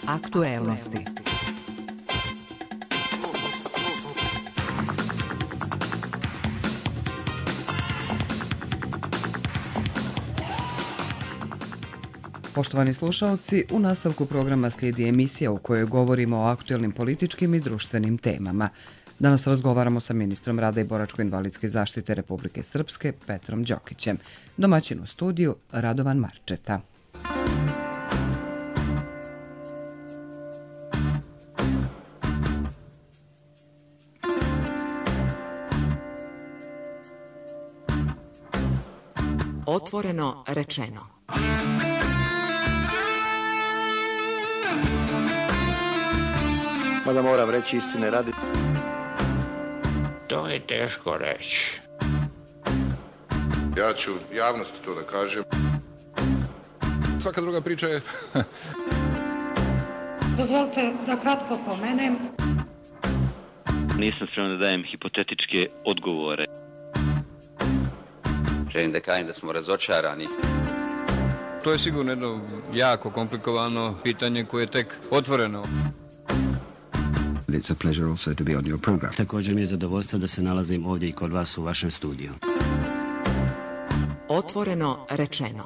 Aktuelnosti. Poštovani slušalci, u nastavku programa slijedi emisija u kojoj govorimo o aktuelnim političkim i društvenim temama. Danas razgovaramo sa ministrom rada i boračko-invalidske zaštite Republike Srpske Petrom Đokićem. Domaćin u studiju Radovan Marčeta. Otvoreno rečeno. Mada moram reći istine radi. To je teško reći. Ja ću javnosti to da kažem. Svaka druga priča je... Dozvolite da kratko pomenem. Nisam spreman da dajem hipotetičke odgovore. Želim da kažem da smo razočarani. To je sigurno jedno jako komplikovano pitanje koje je tek otvoreno. It's a pleasure also to be on your program. Također mi je zadovoljstvo da se nalazim ovdje i kod vas u vašem studiju. Otvoreno rečeno.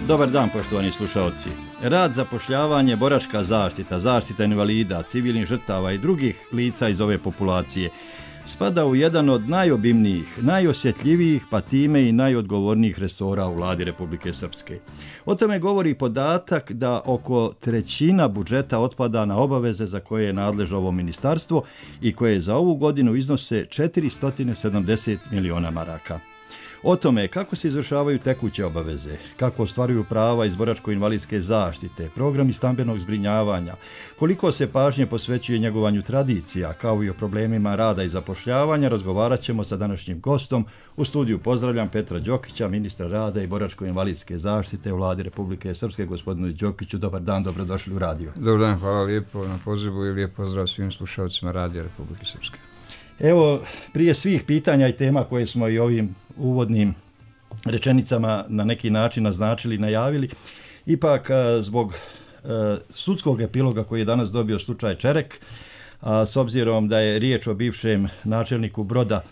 Dobar dan, poštovani slušalci. Rad, zapošljavanje, boračka zaštita, zaštita invalida, civilnih žrtava i drugih lica iz ove populacije spada u jedan od najobimnijih, najosjetljivijih, pa time i najodgovornijih resora u vladi Republike Srpske. O tome govori podatak da oko trećina budžeta otpada na obaveze za koje je nadležno ovo ministarstvo i koje za ovu godinu iznose 470 miliona maraka. O tome kako se izvršavaju tekuće obaveze, kako ostvaruju prava iz boračko-invalidske zaštite, programi stambenog zbrinjavanja, koliko se pažnje posvećuje njegovanju tradicija, kao i o problemima rada i zapošljavanja, razgovarat ćemo sa današnjim gostom. U studiju pozdravljam Petra Đokića, ministra rada i boračko-invalidske zaštite u vladi Republike Srpske. Gospodinu Đokiću, dobar dan, dobrodošli u radio. Dobar dan, hvala lijepo na pozivu i lijep pozdrav svim slušalcima Radija Republike Srpske. Evo, prije svih pitanja i tema koje smo i ovim uvodnim rečenicama na neki način naznačili i najavili, ipak zbog sudskog epiloga koji je danas dobio slučaj Čerek, a s obzirom da je riječ o bivšem načelniku Broda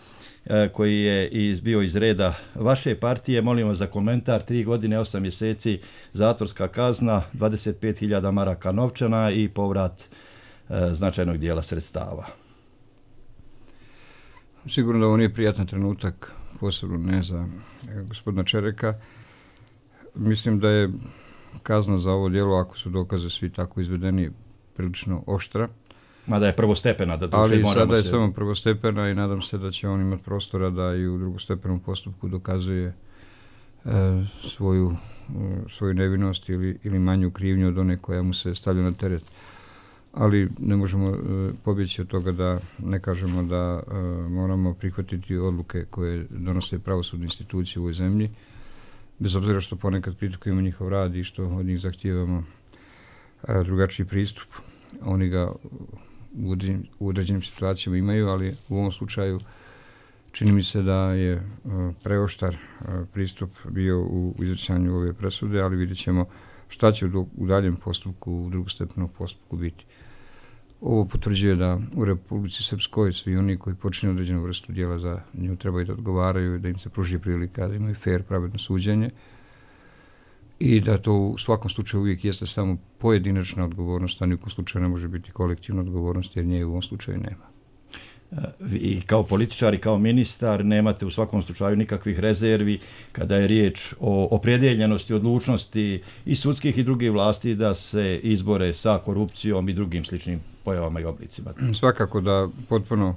koji je bio iz reda vaše partije, molim vas za komentar. 3 godine, 8 mjeseci zatvorska kazna, 25.000 maraka novčana i povrat značajnog dijela sredstava. Sigurno da ovo nije prijatan trenutak, posebno ne za gospodina Čereka. Mislim da je kazna za ovo djelo, ako su dokaze svi tako izvedeni, prilično oštra. Mada je prvostepena, da duše moramo se... Ali sada je samo prvostepena i nadam se da će on imati prostora da i u drugostepenom postupku dokazuje svoju nevinost ili manju krivnju od one koja mu se stavlja na teret. Ali ne možemo pobjeći od toga da ne kažemo da moramo prihvatiti odluke koje donose pravosudne institucije u ovoj zemlji, bez obzira što ponekad kritikujemo njihov rad i što od njih zahtijevamo drugačiji pristup. Oni ga u određenim situacijama imaju, ali u ovom slučaju čini mi se da je preoštar pristup bio u izricanju ove presude, ali vidjet ćemo šta će u daljem postupku, u drugostepenom postupku biti. Ovo potvrđuje da u Republici Srpskoj svi oni koji počinju određenu vrstu djela za nju trebaju da odgovaraju, da im se pruži prilika, da imaju fair, pravedno suđenje i da to u svakom slučaju uvijek jeste samo pojedinačna odgovornost, a nijekom slučaju ne može biti kolektivna odgovornost jer nje u ovom slučaju nema. I kao političar i kao ministar nemate u svakom slučaju nikakvih rezervi kada je riječ o opredjeljenosti, odlučnosti i sudskih i drugih vlasti da se izbore sa korupcijom i drugim sličnim pojavama i oblicima. Svakako da potpuno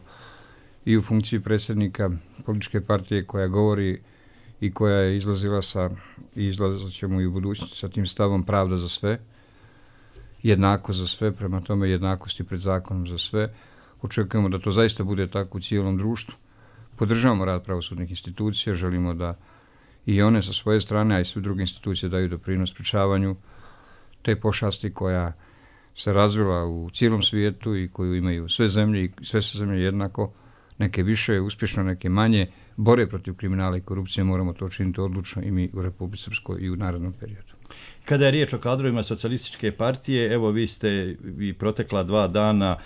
i u funkciji predsjednika političke partije koja govori i koja je izlazila i izlazit ćemo i u budućnosti sa tim stavom pravda za sve, jednako za sve, prema tome jednakosti pred zakonom za sve. Očekujemo da to zaista bude tako u cijelom društvu. Podržavamo rad pravosudnih institucija, želimo da i one sa svoje strane, a i sve druge institucije daju doprinos sprječavanju te pošasti koja se razvila u cijelom svijetu i koju imaju sve zemlje i sve se zemlje jednako, neke više uspješno, neke manje, bore protiv kriminala i korupcije, moramo to činiti odlučno i mi u Republici Srpskoj i u narednom periodu. Kada je riječ o kadrovima socijalističke partije, evo vi ste i protekla 2 dana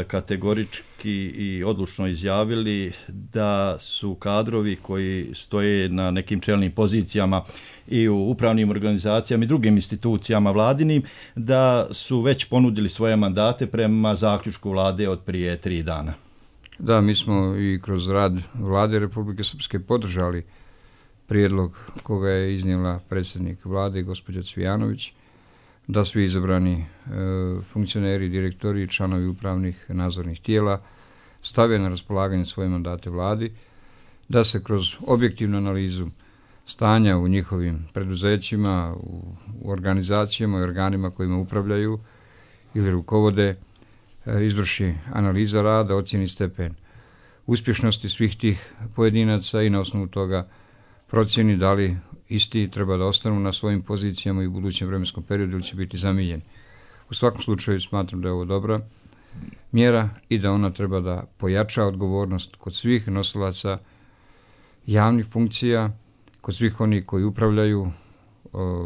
kategorički i odlučno izjavili da su kadrovi koji stoje na nekim čelnim pozicijama i u upravnim organizacijama i drugim institucijama vladinim, da su već ponudili svoje mandate prema zaključku vlade od prije 3 dana. Da, mi smo i kroz rad vlade Republike Srpske podržali prijedlog koga je iznijela predsjednik vlade, gospođa Cvijanović, da svi izabrani funkcioneri, direktori i članovi upravnih nadzornih tijela stave na raspolaganje svoje mandate vladi, da se kroz objektivnu analizu stanja u njihovim preduzećima, u organizacijama i organima kojima upravljaju ili rukovode, izvrši analiza rada, ocjeni stepen uspješnosti svih tih pojedinaca i na osnovu toga procjeni da li isti treba da ostanu na svojim pozicijama i u budućem vremenskom periodu ili će biti zamijenjeni. U svakom slučaju smatram da je ovo dobra mjera i da ona treba da pojača odgovornost kod svih nosilaca javnih funkcija, kod svih onih koji upravljaju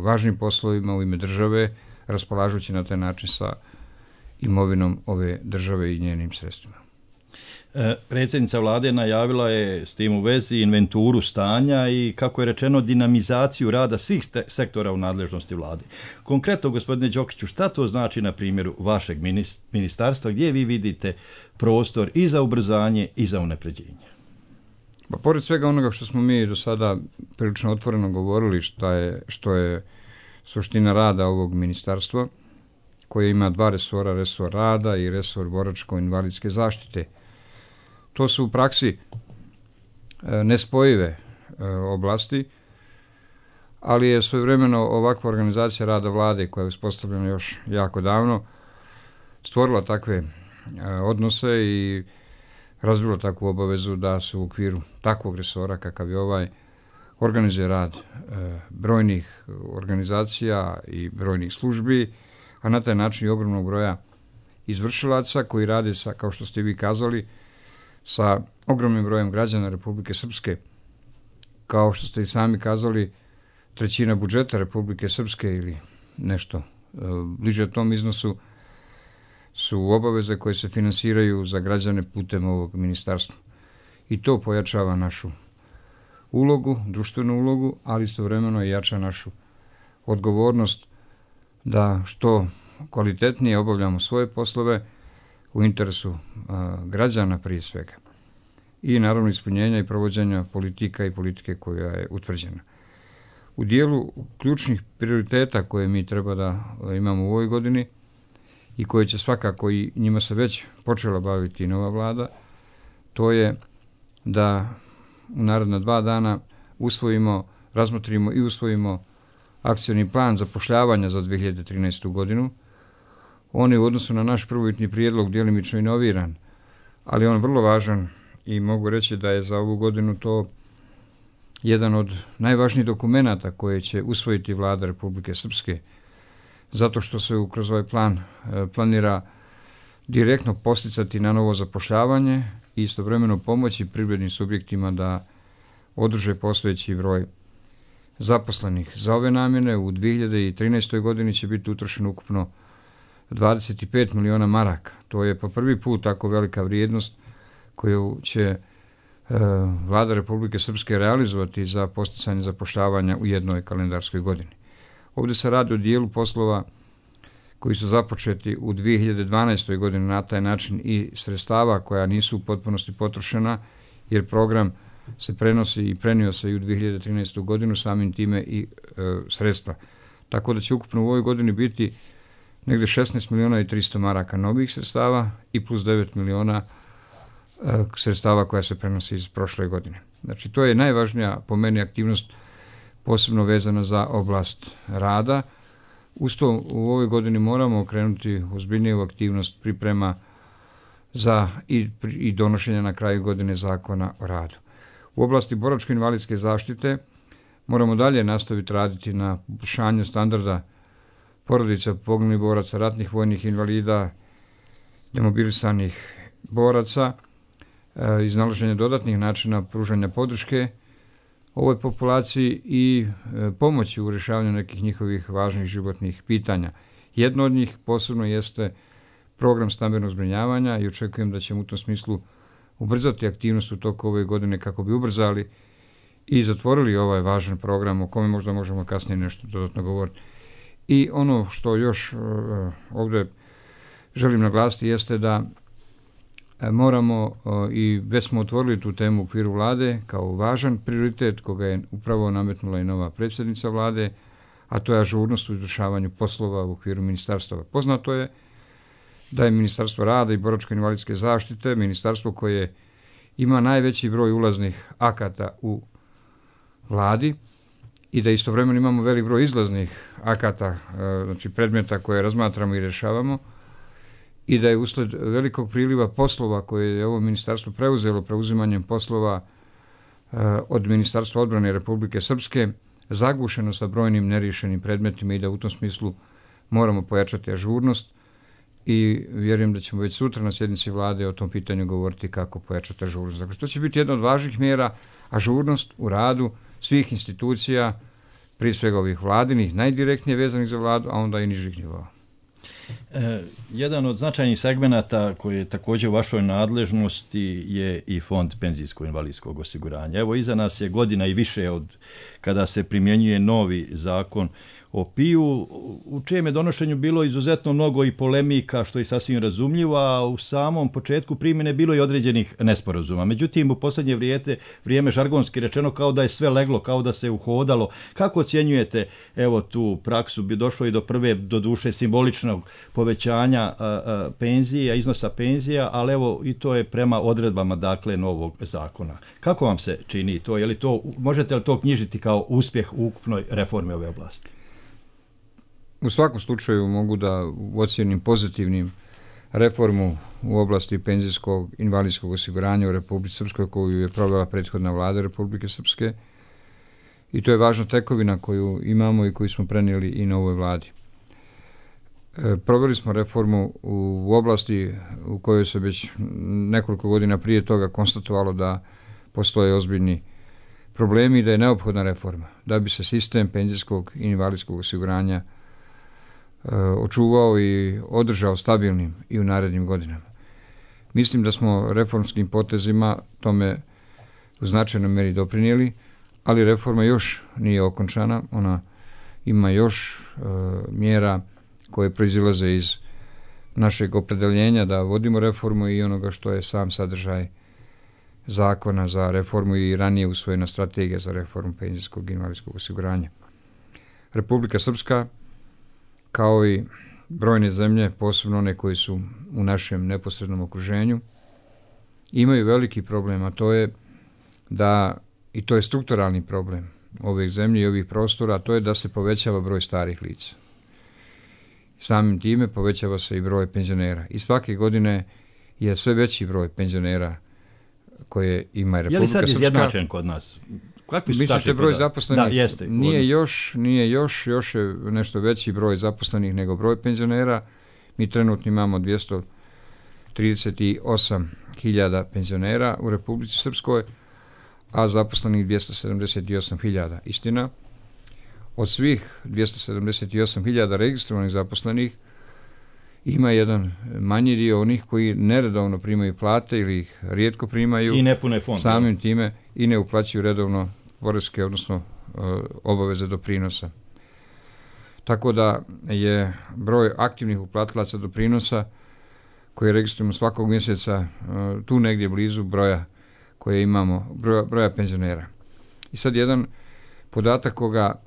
važnim poslovima u ime države, raspolažući na taj način sa imovinom ove države i njenim sredstvima. Predsjednica vlade najavila je s tim u vezi inventuru stanja i, kako je rečeno, dinamizaciju rada svih sektora u nadležnosti vlade. Konkretno, gospodine Đokiću, šta to znači na primjeru vašeg ministarstva, gdje vi vidite prostor i za ubrzanje i za unapređenje? Pa, pored svega onoga što smo mi do sada prilično otvoreno govorili, što je suština rada ovog ministarstva, koje ima 2 resora, resor rada i resor boračko-invalidske zaštite. To su u praksi nespojive oblasti, ali je svojevremeno ovakva organizacija rada vlade, koja je uspostavljena još jako davno, stvorila takve odnose i razvila takvu obavezu da se u okviru takvog resora kakav je ovaj organizuje rad brojnih organizacija i brojnih službi, a na taj način i ogromnog broja izvršilaca koji rade sa, kao što ste vi kazali, sa ogromnim brojem građana Republike Srpske. Kao što ste i sami kazali, 1/3 budžeta Republike Srpske ili nešto bliže tom iznosu su obaveze koje se finansiraju za građane putem ovog ministarstva. I to pojačava našu ulogu, društvenu ulogu, ali istovremeno i jača našu odgovornost da što kvalitetnije obavljamo svoje poslove u interesu građana prije svega. I naravno ispunjenja i provođenja politika i politike koja je utvrđena. U dijelu ključnih prioriteta koje mi treba da imamo u ovoj godini i koje će svakako i njima se već počela baviti nova vlada, to je da u naredna 2 dana razmotrimo i usvojimo akcioni plan zapošljavanja za 2013. godinu. On je u odnosu na naš prvobitni prijedlog djelimično inoviran, ali on vrlo važan i mogu reći da je za ovu godinu to jedan od najvažnijih dokumenata koje će usvojiti vlada Republike Srpske, zato što se kroz ovaj plan planira direktno posticati na novo zapošljavanje i istovremeno pomoći privrednim subjektima da održe postojeći broj zaposlenih. Za ove namjene u 2013. godini će biti utrošeno ukupno 25 miliona maraka. To je po prvi put tako velika vrijednost koju će vlada Republike Srpske realizovati za posticanje zapošljavanja u jednoj kalendarskoj godini. Ovdje se radi o dijelu poslova koji su započeti u 2012. godini, na taj način i sredstava koja nisu u potpunosti potrošena, jer program se prenosi i prenio se i u 2013. godinu, samim time i sredstva. Tako da će ukupno u ovoj godini biti negdje 16 miliona i 300 maraka novih sredstava i plus 9 miliona sredstava koja se prenosi iz prošle godine. Znači, to je najvažnija po meni aktivnost, posebno vezana za oblast rada, Uz to u ovoj godini moramo okrenuti ozbiljniju aktivnost priprema za i donošenja na kraju godine zakona o radu. U oblasti boračko-invalidske zaštite moramo dalje nastaviti raditi na poboljšanju standarda porodica poginulih boraca, ratnih vojnih invalida, demobilisanih boraca, iznalaženje dodatnih načina pružanja podrške ovoj populaciji i pomoći u rješavanju nekih njihovih važnih životnih pitanja. Jedno od njih posebno jeste program stambenog zbrinjavanja i očekujem da ćemo u tom smislu ubrzati aktivnost u toku ove godine kako bi ubrzali i zatvorili ovaj važan program o kome možda možemo kasnije nešto dodatno govoriti. I ono što još ovdje želim naglasiti jeste da moramo, i već smo otvorili tu temu u okviru vlade kao važan prioritet koga je upravo nametnula i nova predsjednica vlade, a to je ažurnost u izvršavanju poslova u okviru ministarstava. Poznato je da je Ministarstvo rada i boračko-invalidske zaštite ministarstvo koje ima najveći broj ulaznih akata u vladi i da istovremeno imamo velik broj izlaznih akata, znači predmeta koje razmatramo i rješavamo, i da je usled velikog priliva poslova koje je ovo ministarstvo preuzelo preuzimanjem poslova od Ministarstva odbrane Republike Srpske zagušeno sa brojnim neriješenim predmetima i da u tom smislu moramo pojačati ažurnost i vjerujem da ćemo već sutra na sjednici vlade o tom pitanju govoriti kako pojačati ažurnost. Dakle, to će biti jedna od važnih mjera, ažurnost u radu svih institucija, prije svega ovih vladinih, najdirektnije vezanih za vladu, a onda i nižih nivoa. Jedan od značajnih segmenata koji je također u vašoj nadležnosti je i Fond penzijsko-invalidskog osiguranja. Evo, iza nas je godina i više od kada se primjenjuje novi zakon o PIO, u čijem je donošenju bilo izuzetno mnogo i polemika, što je sasvim razumljivo, a u samom početku primjene bilo i određenih nesporazuma. Međutim, u posljednje vrijeme žargonski rečeno kao da je sve leglo, kao da se uhodalo. Kako ocjenjujete evo tu praksu? Bi došlo i do prve, do duše, simboličnog povećanja penzija, iznosa penzija, ali evo i to je prema odredbama dakle novog zakona. Kako vam se čini to? Je li to, možete li to knjižiti kao uspjeh u ukupnoj reformi ove oblasti? U svakom slučaju mogu da ocjenim pozitivnim reformu u oblasti penzijskog invalidskog osiguranja u Republici Srpskoj koju je provela prethodna vlada Republike Srpske i to je važna tekovina koju imamo i koju smo prenijeli i novoj vladi. Proveli smo reformu u oblasti u kojoj se već nekoliko godina prije toga konstatovalo da postoje ozbiljni problemi i da je neophodna reforma da bi se sistem penzijskog i invalidskog osiguranja očuvao i održao stabilnim i u narednim godinama. Mislim da smo reformskim potezima tome u značajnoj meri doprinijeli, ali reforma još nije okončana, ona ima još mjera koje proizilaze iz našeg opredeljenja da vodimo reformu i onoga što je sam sadržaj zakona za reformu i ranije usvojena strategija za reformu penzijskog i invalidskog osiguranja. Republika Srpska, kao i brojne zemlje, posebno one koji su u našem neposrednom okruženju, imaju veliki problem, a to je da, i to je strukturalni problem ovih zemlji i ovih prostora, a to je da se povećava broj starih lica. Samim time povećava se i broj penzionera. I svake godine je sve veći broj penzionera koje ima Republika Srpska. Je li sad izjednačen kod nas? Mislite broj zaposlenih? Da, jeste. Nije još je nešto veći broj zaposlenih nego broj penzionera. Mi trenutno imamo 238.000 penzionera u Republici Srpskoj, a zaposlenih 278.000. Istina, od svih 278.000 registrovanih zaposlenih ima jedan manji dio onih koji neredovno primaju plate ili ih rijetko primaju. I ne pune fond. Samim time i ne uplaćuju redovno poreske, odnosno obaveze doprinosa. Tako da je broj aktivnih uplatilaca doprinosa koje registrujemo svakog mjeseca tu negdje blizu broja koje imamo, broja penzionera. I sad jedan podatak koga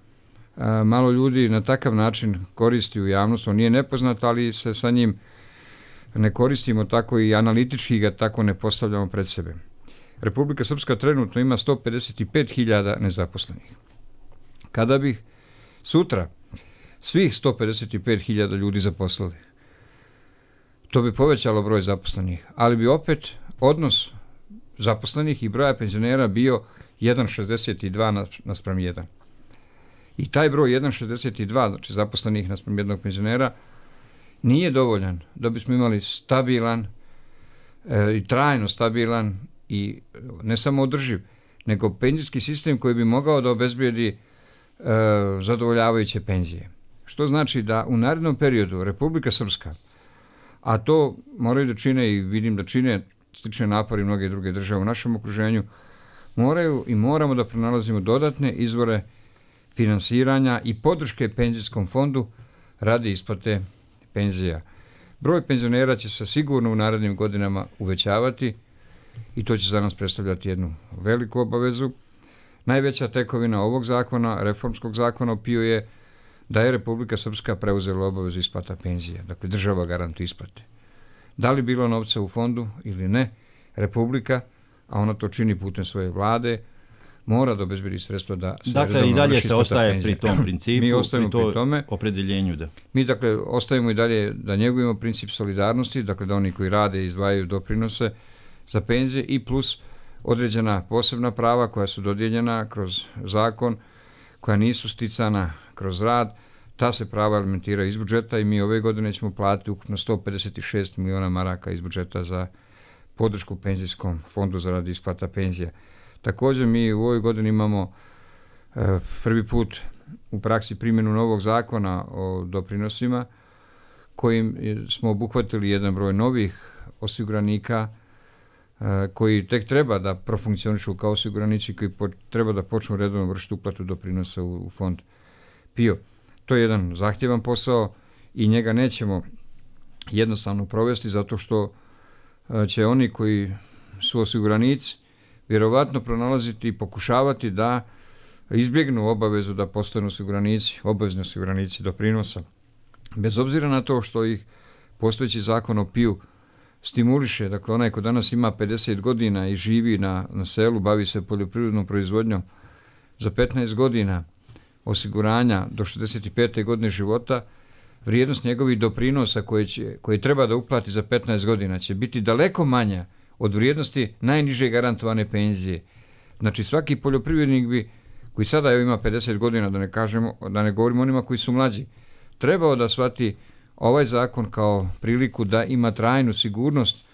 malo ljudi na takav način koristi u javnosti, on nije nepoznat, ali se sa njim ne koristimo tako i analitički ga tako ne postavljamo pred sebe. Republika Srpska trenutno ima 155.000 nezaposlenih. Kada bih sutra svih 155.000 ljudi zaposlili. To bi povećalo broj zaposlenih, ali bi opet odnos zaposlenih i broja penzionera bio 1,62 naspram 1. I taj broj 1,62, znači zaposlenih naspram jednog penzionera, nije dovoljan da bismo imali stabilan i trajno stabilan i ne samo održiv, nego penzijski sistem koji bi mogao da obezbijedi zadovoljavajuće penzije. Što znači da u narednom periodu Republika Srpska, a to moraju da čine i vidim da čine slične napori mnoge druge države u našem okruženju, moraju i moramo da pronalazimo dodatne izvore finansiranja i podrške penzijskom fondu radi isplate penzija. Broj penzionera će se sigurno u narednim godinama uvećavati i to će za nas predstavljati jednu veliku obavezu. Najveća tekovina ovog zakona, reformskog zakona o PIO je da je Republika Srpska preuzela obavezu isplata penzija. Dakle, država garantuje isplate. Da li bilo novca u fondu ili ne, Republika, a ona to čini putem svoje vlade, mora da obezbedi sredstva da se dakle, i dalje se ostaje pri tom principu, mi ostajemo pri tome opredeljenju. Da. Mi, dakle, ostajemo i dalje da njegujemo princip solidarnosti, dakle, da oni koji rade i izdvajaju doprinose za penzije i plus određena posebna prava koja su dodijeljena kroz zakon, koja nisu sticana kroz rad, ta se prava alimentiraju iz budžeta i mi ove godine ćemo platiti ukupno 156 miliona maraka iz budžeta za podršku penzijskom fondu za rad isplata penzija. Također mi u ovoj godini imamo prvi put u praksi primjenu novog zakona o doprinosima kojim smo obuhvatili jedan broj novih osiguranika koji tek treba da profunkcionišu kao osiguranici koji treba da počnu redovno vršiti uplatu doprinosa u fond PIO. To je jedan zahtjevan posao i njega nećemo jednostavno provesti zato što će oni koji su osiguranici vjerovatno pronalaziti i pokušavati da izbjegnu obavezu da postanu osiguranici, obavezni osiguranici doprinosa. Bez obzira na to što ih postojeći zakon o PIO stimuliše, dakle onaj ko danas ima 50 godina i živi na selu, bavi se poljoprivrednom proizvodnjom, za 15 godina osiguranja do 65. godine života, vrijednost njegovih doprinosa koje treba da uplati za 15 godina će biti daleko manja od vrijednosti najniže garantovane penzije. Znači svaki poljoprivrednik bi, koji sada ima 50 godina, da ne govorimo onima koji su mlađi, trebao da shvati ovaj zakon kao priliku da ima trajnu sigurnost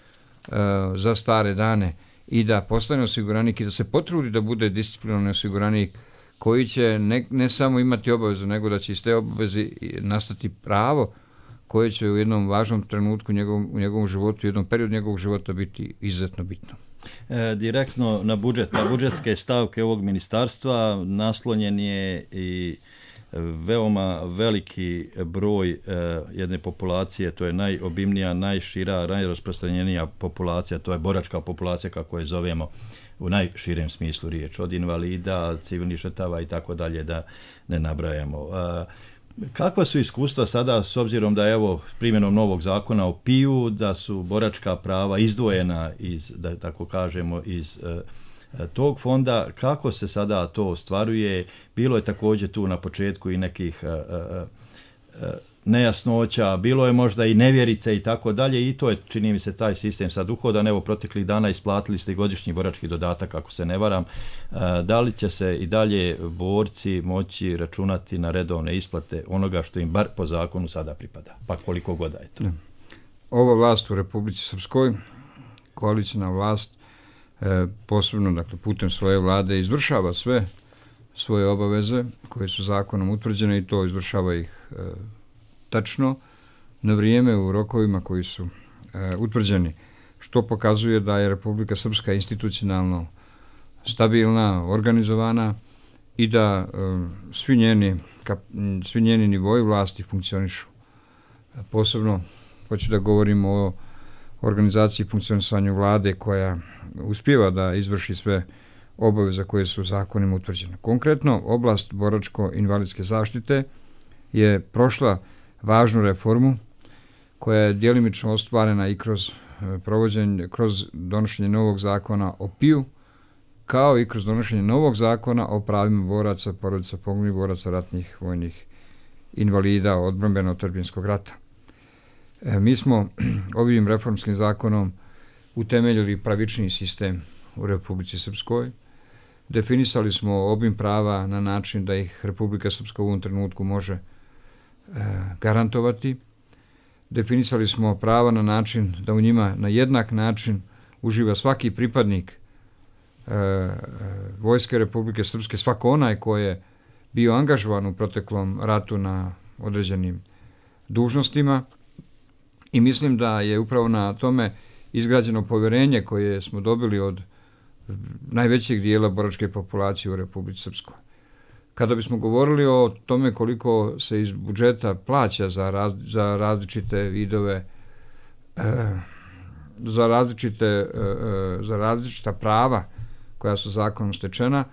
za stare dane i da postane osiguranik i da se potrudi da bude disciplinovan osiguranik koji će ne samo imati obavezu, nego da će iz te obaveze nastati pravo koje će u jednom važnom trenutku u njegovom životu, u jednom periodu njegovog života biti izuzetno bitno. Direktno na budžetske stavke ovog ministarstva naslonjen je i veoma veliki broj jedne populacije, to je najobimnija, najšira, najrasprostranjenija populacija, to je boračka populacija kako je zovemo u najširem smislu riječ, od invalida, civilnih žrtava i tako dalje, da ne nabrajamo. Kakva su iskustva sada s obzirom da je evo primjenom novog zakona o PIO da su boračka prava izdvojena iz, da tako kažemo, iz tog fonda, kako se sada to ostvaruje? Bilo je također tu na početku i nekih nejasnoća, bilo je možda i nevjerice i tako dalje i to je, čini mi se, taj sistem sad uhodan. Evo, proteklih dana isplatili ste i godišnji borački dodatak, ako se ne varam. Da li će se i dalje borci moći računati na redovne isplate onoga što im bar po zakonu sada pripada, pa koliko god je to? Ova vlast u Republici Srpskoj, koalicijna vlast, posebno, dakle, putem svoje vlade izvršava sve svoje obaveze koje su zakonom utvrđene i to izvršava ih tačno, na vrijeme, u rokovima koji su utvrđeni, što pokazuje da je Republika Srpska institucionalno stabilna, organizovana i da svi njeni nivoji vlasti funkcionišu. Posebno hoću da govorim o organizaciji i funkcionisanju vlade koja uspijeva da izvrši sve obaveze koje su zakonima utvrđene. Konkretno, oblast boračko-invalidske zaštite je prošla važnu reformu koja je djelimično ostvarena i kroz donošenje novog zakona o PIO, kao i kroz donošenje novog zakona o pravima boraca, porodica poginulih boraca, ratnih vojnih invalida odbrambeno-otadžbinskog rata. Mi smo ovim reformskim zakonom utemeljili pravični sistem u Republici Srpskoj. Definisali smo obim prava na način da ih Republika Srpska u ovom trenutku može garantovati. Definisali smo prava na način da u njima na jednak način uživa svaki pripadnik Vojske Republike Srpske, svako onaj ko je bio angažovan u proteklom ratu na određenim dužnostima, i mislim da je upravo na tome izgrađeno povjerenje koje smo dobili od najvećeg dijela boračke populacije u Republici Srpskoj. Kada bismo govorili o tome koliko se iz budžeta plaća za različite vidove, za različita prava koja su zakonom stečena,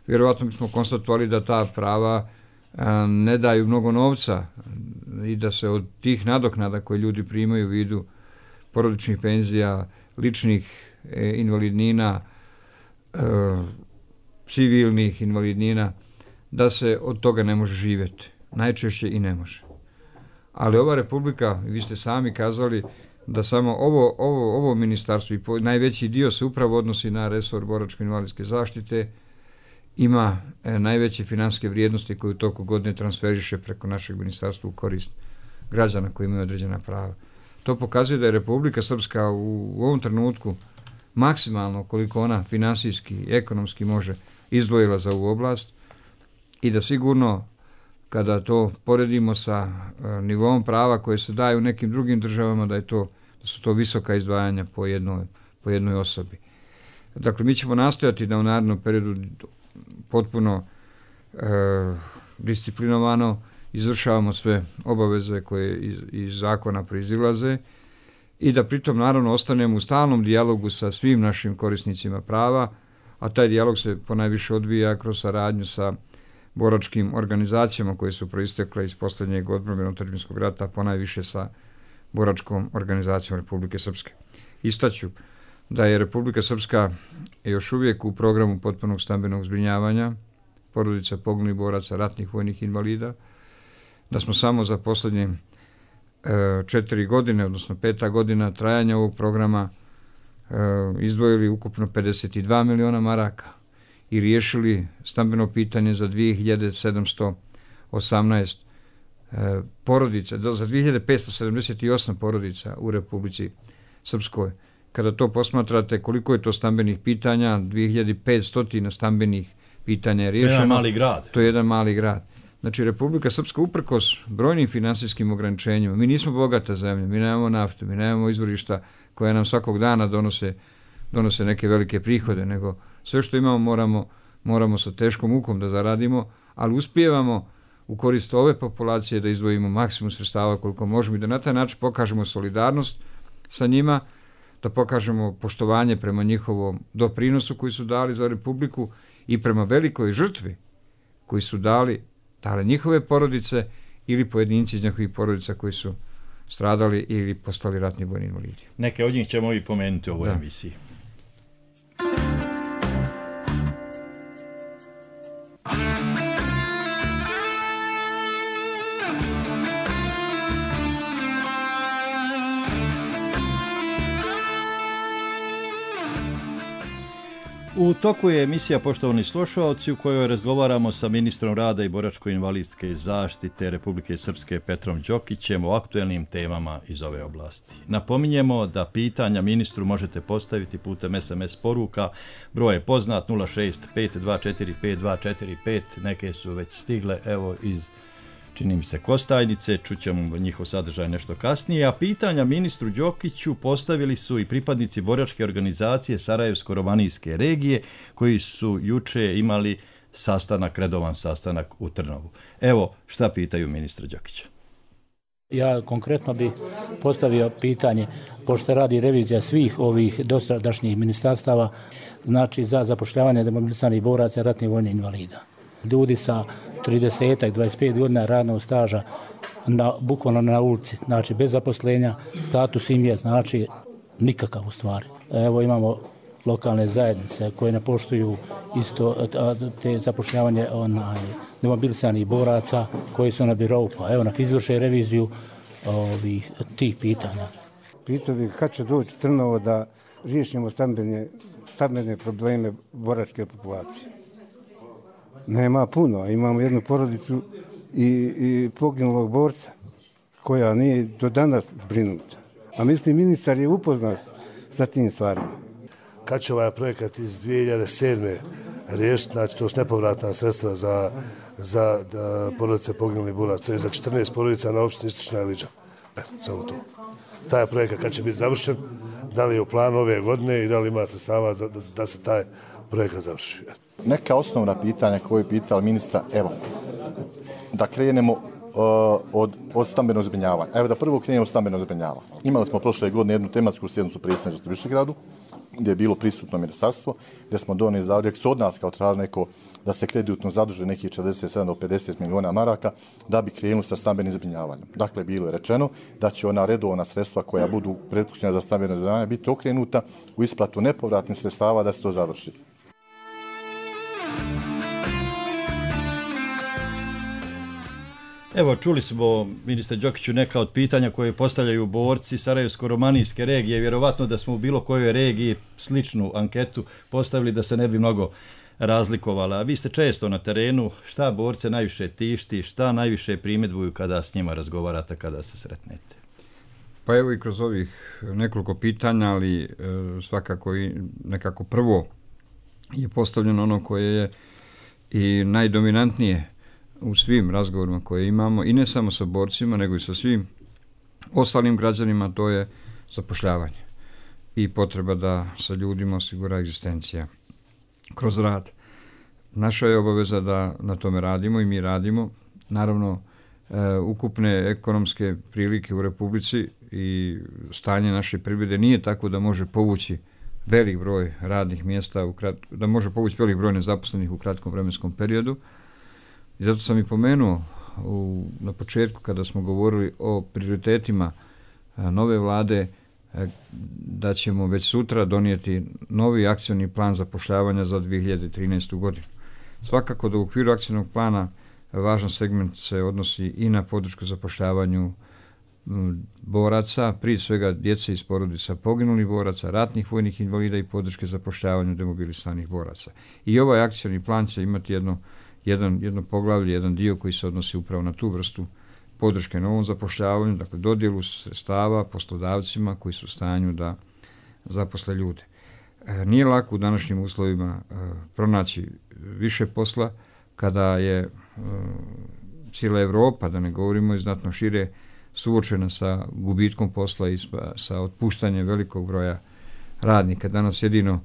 vjerovatno bismo konstatovali da ta prava ne daju mnogo novca i da se od tih nadoknada koje ljudi primaju u vidu porodičnih penzija, ličnih invalidnina, civilnih invalidnina, da se od toga ne može živjeti. Najčešće i ne može. Ali ova Republika, vi ste sami kazali da samo ovo ministarstvo i najveći dio se upravo odnosi na resor boračko-invalidske zaštite, ima najveće financijske vrijednosti koje u toku godine transferiše preko našeg ministarstva u korist građana koji imaju određena prava. To pokazuje da je Republika Srpska u ovom trenutku maksimalno koliko ona finansijski i ekonomski može izdvojila za ovu oblast i da sigurno kada to poredimo sa nivom prava koje se daju u nekim drugim državama da su to visoka izdvajanja po jednoj osobi. Dakle, mi ćemo nastojati da u narednom periodu potpuno disciplinovano izvršavamo sve obaveze koje iz zakona proizilaze i da pritom naravno ostanemo u stalnom dijalogu sa svim našim korisnicima prava, a taj dijalog se ponajviše odvija kroz saradnju sa boračkim organizacijama koje su proistekle iz posljednjeg odbrambeno-otadžbinskog rata, ponajviše sa boračkom organizacijom Republike Srpske. Istaću da je Republika Srpska još uvijek u programu potpunog stambenog zbrinjavanja porodica poginulih boraca, ratnih vojnih invalida, da smo samo za posljednje 4 godine, odnosno 5. godina trajanja ovog programa izdvojili ukupno 52 miliona maraka i riješili stambeno pitanje za 2718 porodica, za 2578 porodica u Republici Srpskoj. Kada to posmatrate koliko je to stambenih pitanja, 2500 stambenih pitanja je riješeno. To je jedan mali grad. Znači, Republika Srpska uprkos brojnim finansijskim ograničenjima, mi nismo bogata zemlja, mi nemamo naftu, mi nemamo izvorišta koja nam svakog dana donose neke velike prihode, nego sve što imamo moramo sa teškom mukom da zaradimo, ali uspijevamo u korist ove populacije da izdvojimo maksimum sredstava koliko možemo i da na taj način pokažemo solidarnost sa njima, da pokažemo poštovanje prema njihovom doprinosu koji su dali za Republiku i prema velikoj žrtvi koji su dali njihove porodice ili pojedinci iz njihovih porodica koji su stradali ili postali ratni vojni invalidi. Neke od njih ćemo i pomenuti u ovoj emisiji. U toku je emisija Poštovani slušalci u kojoj razgovaramo sa ministrom rada i boračko-invalidske zaštite Republike Srpske Petrom Đokićem o aktuelnim temama iz ove oblasti. Napominjemo da pitanja ministru možete postaviti putem SMS poruka. Broj je poznat 065245245. Neke su već stigle, evo iz čini mi se Kostajnice, čućemo njihov sadržaj nešto kasnije, a pitanja ministru Đokiću postavili su i pripadnici boračke organizacije Sarajevsko-romanijske regije koji su juče imali redovan sastanak u Trnovu. Evo šta pitaju ministra Đokića. Ja konkretno bih postavio pitanje, pošto radi revizija svih ovih dosadašnjih ministarstava, znači za zapošljavanje demobilisanih boraca i ratnih vojnih invalida. Ljudi sa 30-25 godina radnog staža bukvalno na ulici, znači bez zaposlenja, status im je znači nikakav u stvari. Evo imamo lokalne zajednice koje ne poštuju isto te zapošljavanje demobilisanih boraca koji su na birou, pa evo nek izvrše reviziju tih pitanja. Pitao bih kad će doći Trnovo da riješimo stambene probleme boračke populacije. Nema puno, imamo jednu porodicu i poginulog borca koja nije do danas zbrinuta. A mislim, ministar je upoznat sa tim stvarima. Kad će ovaj projekat iz 2007. riješiti, znači to su nepovratna sredstva za porodice poginulih boraca, to je za 14 porodica na opštini Istočna Iliđa. Samo to. Taj projekat kad će biti završen, da li je u planu ove godine i da li ima sredstava da se taj projekat završi. Neka osnovna pitanja koje je pitao ministra, evo, da krenemo od stambenog zbrinjavanja. Evo da prvo krenemo od stambenog zbrinjavanja. Imali smo prošle godine jednu tematsku sjednicu predsjedništva u Višegradu, gdje je bilo prisutno ministarstvo, gdje smo donijeli zahtjev od nas kao traži neko da se kreditno zaduže nekih 47 do 50 miliona maraka da bi krenuli sa stambenim zbrinjavanjem. Dakle, bilo je rečeno da će ona redovna sredstva koja budu prepuštena za stambeno zbrinjavanje biti okrenuta u isplatu nepovratnih sredstava da se to završi. Evo, čuli smo, ministre Đokiću, neka od pitanja koje postavljaju borci Sarajevsko-romanijske regije. Vjerovatno da smo u bilo kojoj regiji sličnu anketu postavili da se ne bi mnogo razlikovala. Vi ste često na terenu, šta borce najviše tišti, šta najviše primjedbuju kada s njima razgovarate, kada se sretnete? Pa evo i kroz ovih nekoliko pitanja, ali svakako i nekako prvo je postavljeno ono koje je i najdominantnije u svim razgovorima koje imamo, i ne samo sa borcima, nego i sa svim ostalim građanima, to je zapošljavanje i potreba da sa ljudima osigura egzistencija kroz rad. Naša je obaveza da na tome radimo i mi radimo. Naravno, ukupne ekonomske prilike u Republici i stanje naše privrede nije tako da može povući velik broj radnih mjesta, da može povući velik broj nezaposlenih u kratkom vremenskom periodu. I zato sam i pomenuo na početku kada smo govorili o prioritetima nove vlade da ćemo već sutra donijeti novi akcioni plan zapošljavanja za 2013. godinu. Svakako da u okviru akcionog plana važan segment se odnosi i na podršku zapošljavanju boraca, prije svega djece iz porodica poginulih boraca, ratnih vojnih invalida i podrške zapošljavanju demobilisanih boraca. I ovaj akcioni plan će imati jedno poglavlje, jedan dio koji se odnosi upravo na tu vrstu podrške novom zapošljavanju, dakle dodjelu sredstava poslodavcima koji su u stanju da zaposle ljude. Nije lako u današnjim uslovima pronaći više posla kada je cijela Evropa, da ne govorimo i znatno šire, suočena sa gubitkom posla i sa otpuštanjem velikog broja radnika. Danas jedino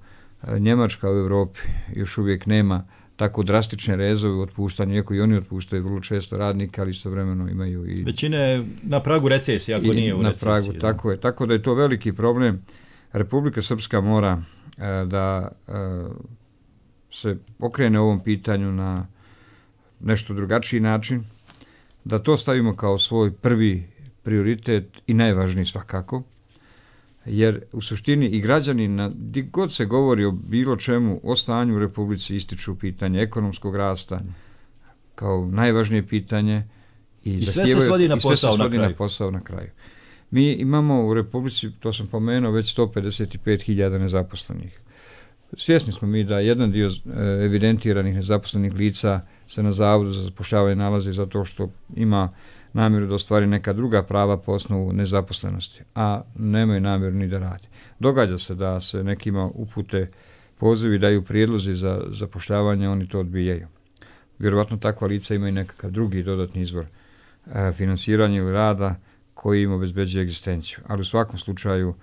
Njemačka u Evropi još uvijek nema tako drastične rezove u otpuštanju, iako i oni otpuštaju vrlo često radnika, ali istovremeno imaju i... Većina je na pragu recesije, ako nije u recesiji. Na pragu, tako je. Tako da je to veliki problem. Republika Srpska mora da se okrene ovom pitanju na nešto drugačiji način, da to stavimo kao svoj prvi prioritet i najvažniji svakako, jer u suštini i građani, gdje god se govori o bilo čemu, o stanju u Republici, ističu pitanje ekonomskog rasta kao najvažnije pitanje i sve se svodi na posao na kraju. Mi imamo u Republici, to sam pomenuo, već 155.000 nezaposlenih. Svjesni smo mi da jedan dio evidentiranih nezaposlenih lica se na Zavodu za zapošljavanje nalazi zato što ima namjeru da ostvari neka druga prava po osnovu nezaposlenosti, a nemaju namjeru ni da radi. Događa se da se nekima upute pozivi, daju prijedlozi za zapošljavanje, oni to odbijaju. Vjerovatno takva lica imaju nekakav drugi dodatni izvor finansiranja ili rada koji im obezbeđuje egzistenciju. Ali u svakom slučaju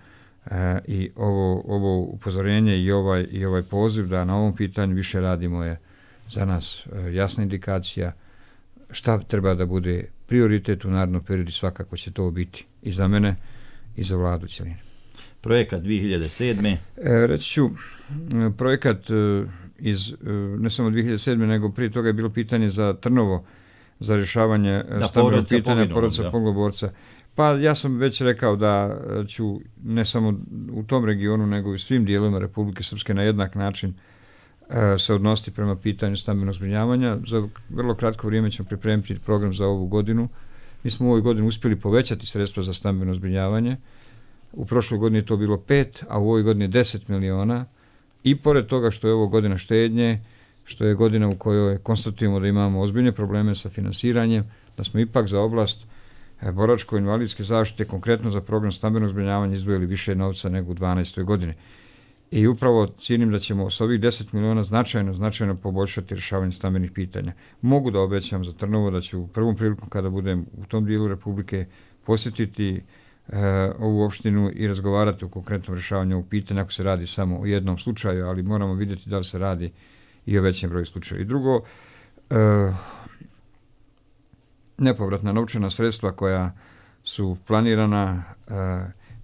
i ovo upozorenje i ovaj poziv da na ovom pitanju više radimo je za nas jasna indikacija šta treba da bude prioritet u narednom periodu, svakako će to biti i za mene i za vladu cjeline. Projekat 2007. Reći ću, projekat iz ne samo 2007. nego prije toga je bilo pitanje za Trnovo, za rješavanje stambenog pitanja porodica poginulog borca. Pa ja sam već rekao da ću ne samo u tom regionu nego i u svim dijelovima Republike Srpske na jednak način se odnositi prema pitanju stambenog zbrinjavanja. Za vrlo kratko vrijeme ćemo pripremiti program za ovu godinu. Mi smo u ovoj godini uspjeli povećati sredstva za stambeno zbrinjavanje. U prošloj godini je to bilo 5, a u ovoj godini je 10 miliona. I pored toga što je ovo godina štednje, što je godina u kojoj konstatujemo da imamo ozbiljne probleme sa finansiranjem, da smo ipak za oblast boračko-invalidske zaštite, konkretno za program stambenog zbrinjavanja, izdvojili više novca nego u 12. godini. I upravo cijenim da ćemo s ovih 10 miliona značajno poboljšati rješavanje stambenih pitanja. Mogu da obećam za Trnovo da ću u prvom priliku kada budem u tom dijelu Republike posjetiti ovu opštinu i razgovarati o konkretnom rješavanju ovog pitanja, ako se radi samo o jednom slučaju, ali moramo vidjeti da li se radi i o većem broju slučaja. I drugo, nepovratna novčana sredstva koja su planirana,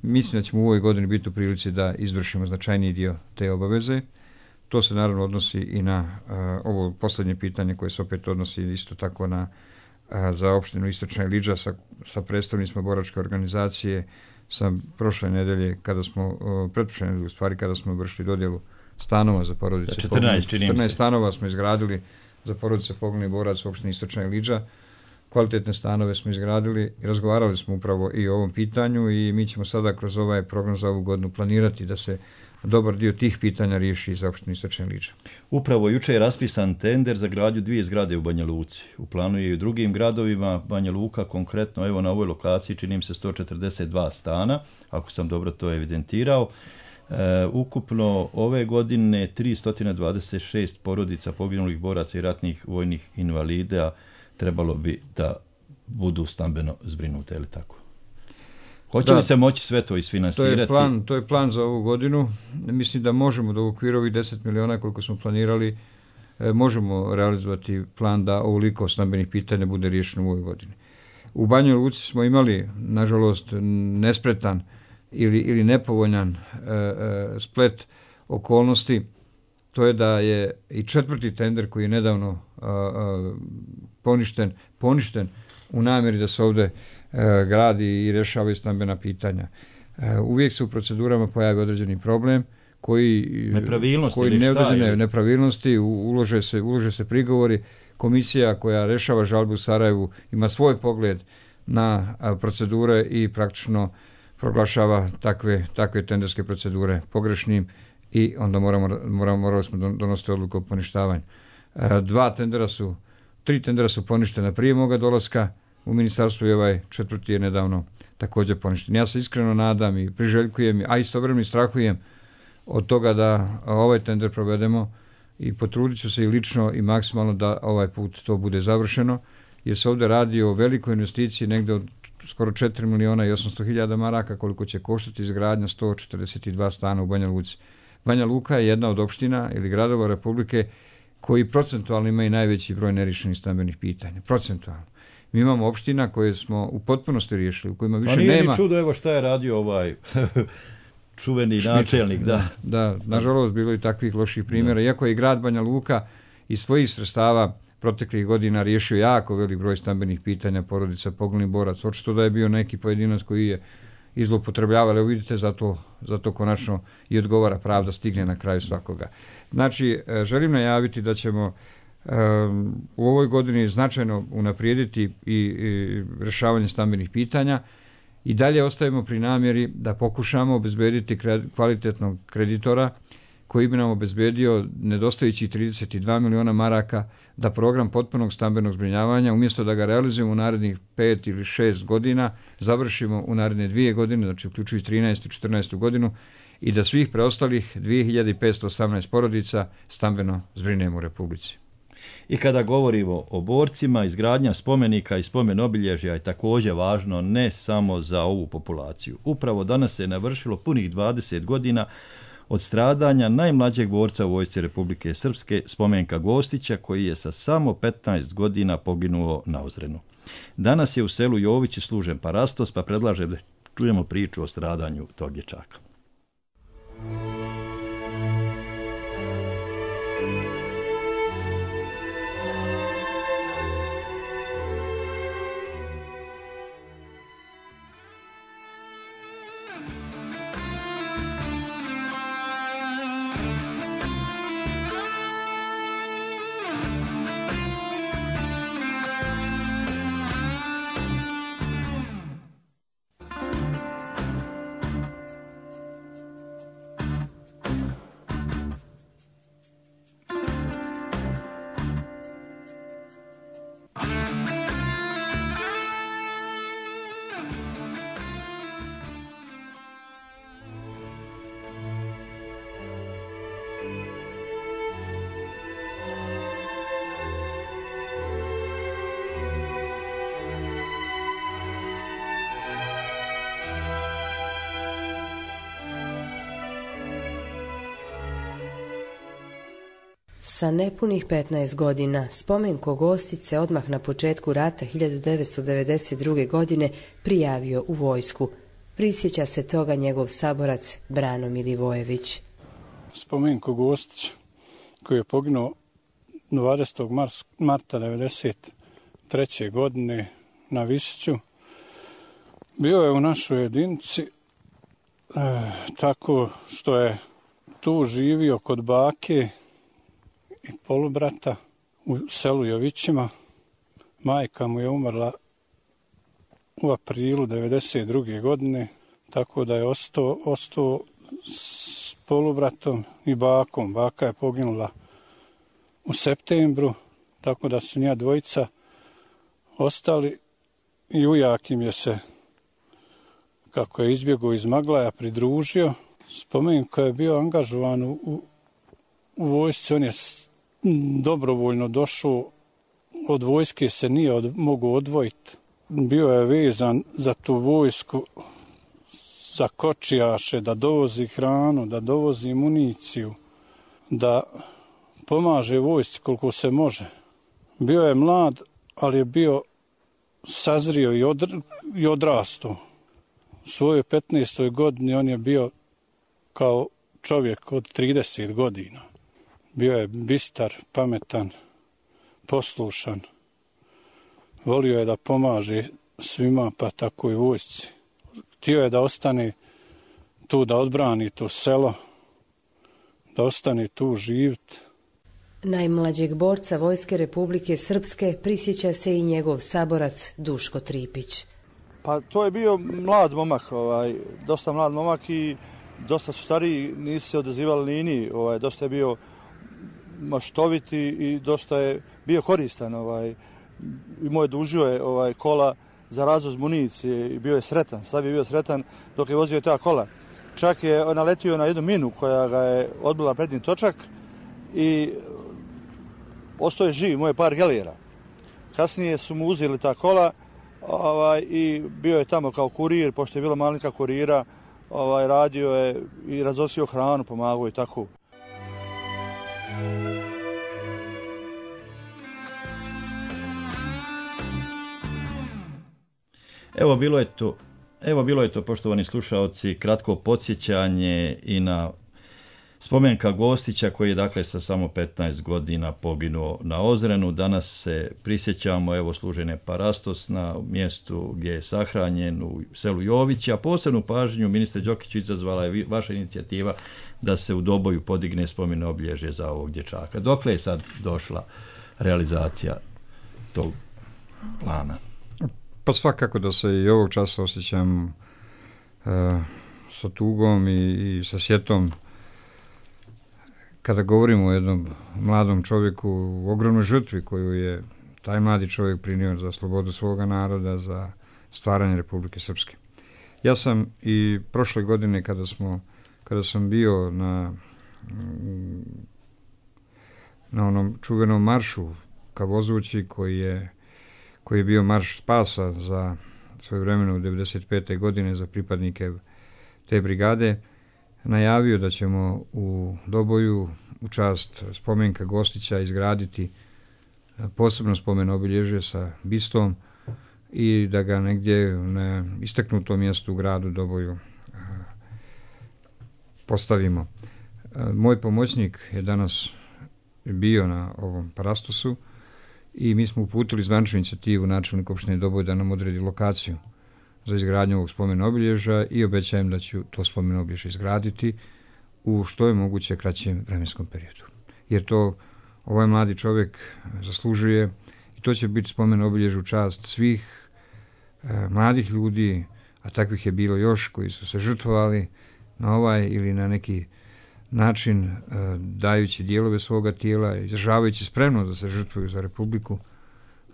mislim da ćemo u ovoj godini biti u prilici da izvršimo značajniji dio te obaveze. To se naravno odnosi i na ovo posljednje pitanje koje se opet odnosi isto tako za opštinu Istočna Iliđa sa predstavnicima boračke organizacije. Sam prošle nedelje, pretprošle nedelje u stvari, kada smo vršili dodjelu stanova za porodice. 14 stanova smo izgradili za porodice poginulih boraca u opštini Istočna Iliđa. Kvalitetne stanove smo izgradili i razgovarali smo upravo i o ovom pitanju i mi ćemo sada kroz ovaj program za ovu godinu planirati da se dobar dio tih pitanja riješi za opštinu Istočna Iliđa. Upravo juče je raspisan tender za gradnju 2 zgrade u Banja Luci. U planu je i u drugim gradovima. Banja Luka konkretno, evo na ovoj lokaciji čini mi se 142 stana, ako sam dobro to evidentirao. Ukupno ove godine 326 porodica poginulih boraca i ratnih vojnih invalida trebalo bi da budu stambeno zbrinute, ili tako? Hoće li se moći sve to isfinansirati? To je plan za ovu godinu. Mislim da možemo da u okviru ovih 10 miliona koliko smo planirali, možemo realizovati plan da ovoliko stambenih pitanja bude riješeno u ovoj godini. U Banjoj Luci smo imali, nažalost, nespretan ili nepovoljan splet okolnosti. To je da je i 4. tender koji je nedavno poništen u namjeri da se ovdje gradi i rješavaju stambena pitanja. Uvijek se u procedurama pojavi određeni problem koji neodređene nepravilnosti, ulože se prigovori. Komisija koja rješava žalbu u Sarajevu ima svoj pogled na procedure i praktično proglašava takve tenderske procedure pogrešnim i onda morali smo donositi odluku o poništavanju. 3 tendera su poništena prije moga dolaska u ministarstvu i ovaj 4. je nedavno također poništen. Ja se iskreno nadam i priželjkujem, a istovremeno strahujem od toga da ovaj tender provedemo i potrudit ću se i lično i maksimalno da ovaj put to bude završeno, jer se ovdje radi o velikoj investiciji, negdje od skoro 4 miliona i 800 hiljada maraka, koliko će koštati izgradnja 142 stana u Banja Luci. Banja Luka je jedna od opština ili gradova Republike koji procentualno imaju najveći broj neriješenih stambenih pitanja. Procentualno. Mi imamo opština koje smo u potpunosti riješili, u kojima više nema... Nije ni čudo, evo šta je radio ovaj čuveni načelnik. Da, nažalost, bilo je takvih loših primjera. Iako je i grad Banja Luka iz svojih sredstava proteklih godina riješio jako velik broj stambenih pitanja porodica poginulih boraca. Očito da je bio neki pojedinac koji je izloupotrebljavali, evo vidite, zato konačno i odgovara, pravda stigne na kraju svakoga. Znači, želim najaviti da ćemo u ovoj godini značajno unaprijediti i rješavanje stambenih pitanja i dalje ostajemo pri namjeri da pokušamo obezbediti kvalitetnog kreditora koji bi nam obezbedio nedostajućih 32 miliona maraka da program potpunog stambenog zbrinjavanja, umjesto da ga realizujemo u narednih 5 ili 6 godina, završimo u naredne 2 godine, znači uključujući 13. i 14. godinu, i da svih preostalih 2518 porodica stambeno zbrinemo u Republici. I kada govorimo o borcima, izgradnja spomenika i spomen obilježja je također važno ne samo za ovu populaciju. Upravo danas se navršilo punih 20 godina od stradanja najmlađeg borca u vojsci Republike Srpske, Spomenka Gostića, koji je sa samo 15 godina poginuo na Ozrenu. Danas je u selu Jovići služen parastos, pa predlažem da čujemo priču o stradanju tog dječaka. Sa nepunih 15 godina Spomenko Gostić se odmah na početku rata 1992. godine prijavio u vojsku. Prisjeća se toga njegov saborac Brano Milivojević. Spomenko Gostić, koji je poginuo 20. marta 1993. godine na Visiću, bio je u našoj jedinici tako što je tu živio kod bake i polubrata u selu Jovićima. Majka mu je umrla u aprilu 1992. godine, tako da je ostao s polubratom i bakom. Baka je poginula u septembru, tako da su njih dvojica ostali i ujak im je se, kako je izbjegao iz Maglaja, pridružio. Spomenko je bio angažovan u vojsci, on je dobrovoljno došao, od vojske se nije mogao odvojiti. Bio je vezan za tu vojsku, za kočijaše, da dovozi hranu, da dovozi municiju, da pomaže vojsci koliko se može. Bio je mlad, ali je bio sazrio i odrastao. U svojoj 15. godini on je bio kao čovjek od 30 godina. Bio je bistar, pametan, poslušan. Volio je da pomaže svima, pa tako i vojsci. Htio je da ostane tu, da odbrani to selo, da ostane tu živjeti. Najmlađeg borca Vojske Republike Srpske prisjeća se i njegov saborac Duško Tripić. Pa to je bio mlad momak, dosta mlad momak i dosta su stariji, nisu se odazivali liniji, dosta je bio maštoviti i dosta je bio koristan. Imao je dužio je kola za razvoz municije i bio je sretan, sad je bio sretan dok je vozio ta kola. Čak je naletio na jednu minu koja ga je odbila prednji točak i ostao je živ, moje par gelijera. Kasnije su mu uzeli ta kola i bio je tamo kao kurir, pošto je bila malinka kurira, radio je i raznosio hranu, pomagao i tako. Evo bilo je to, poštovani slušaoci, kratko podsjećanje i na Spomenka Gostića koji je dakle sa samo 15 godina poginuo na Ozrenu. Danas se prisjećamo služene parastos na mjestu gdje je sahranjen u selu Jovići, a posebnu pažnju, ministre Đokiću, izazvala je vaša inicijativa da se u Doboju podigne spomen obilježje za ovog dječaka. Dokle je sad došla realizacija tog plana? Pa svakako da se i ovog časa osjećam sa tugom i sa sjetom kada govorimo o jednom mladom čovjeku u ogromnoj žrtvi koju je taj mladi čovjek prinio za slobodu svoga naroda, za stvaranje Republike Srpske. Ja sam i prošle godine kada sam bio na onom čuvenom maršu ka Vozući koji je bio marš spasa za svojevremeno u 1995. godine za pripadnike te brigade, najavio da ćemo u Doboju u čast Spomenka Gostića izgraditi posebno spomen obilježje sa bistom i da ga negdje na istaknutom mjestu u gradu Doboju postavimo. Moj pomoćnik je danas bio na ovom parastosu i mi smo uputili zvaničnu inicijativu načelniku opštine Doboj da nam odredi lokaciju za izgradnju ovog spomen obilježja i obećajem da ću to spomen obilježje izgraditi u što je moguće kraćem vremenskom periodu. Jer to ovaj mladi čovjek zaslužuje i to će biti spomen obilježje u čast svih mladih ljudi, a takvih je bilo još koji su se žrtvovali na ovaj ili na neki način dajući dijelove svoga tijela, izražavajući spremnost da se žrtvuju za Republiku,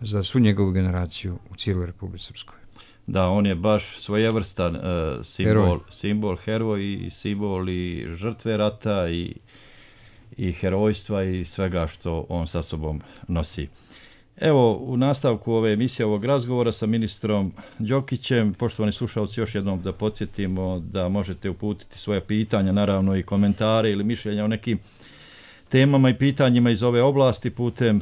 za svu njegovu generaciju u cijeloj Republici Srpskoj. Da, on je baš svojevrstan simbol heroj i simbol i žrtve rata i herojstva i svega što on sa sobom nosi. Evo, u nastavku ove emisije, ovog razgovora sa ministrom Đokićem, poštovani slušalci, još jednom da podsjetimo da možete uputiti svoje pitanja, naravno i komentare ili mišljenja o nekim temama i pitanjima iz ove oblasti putem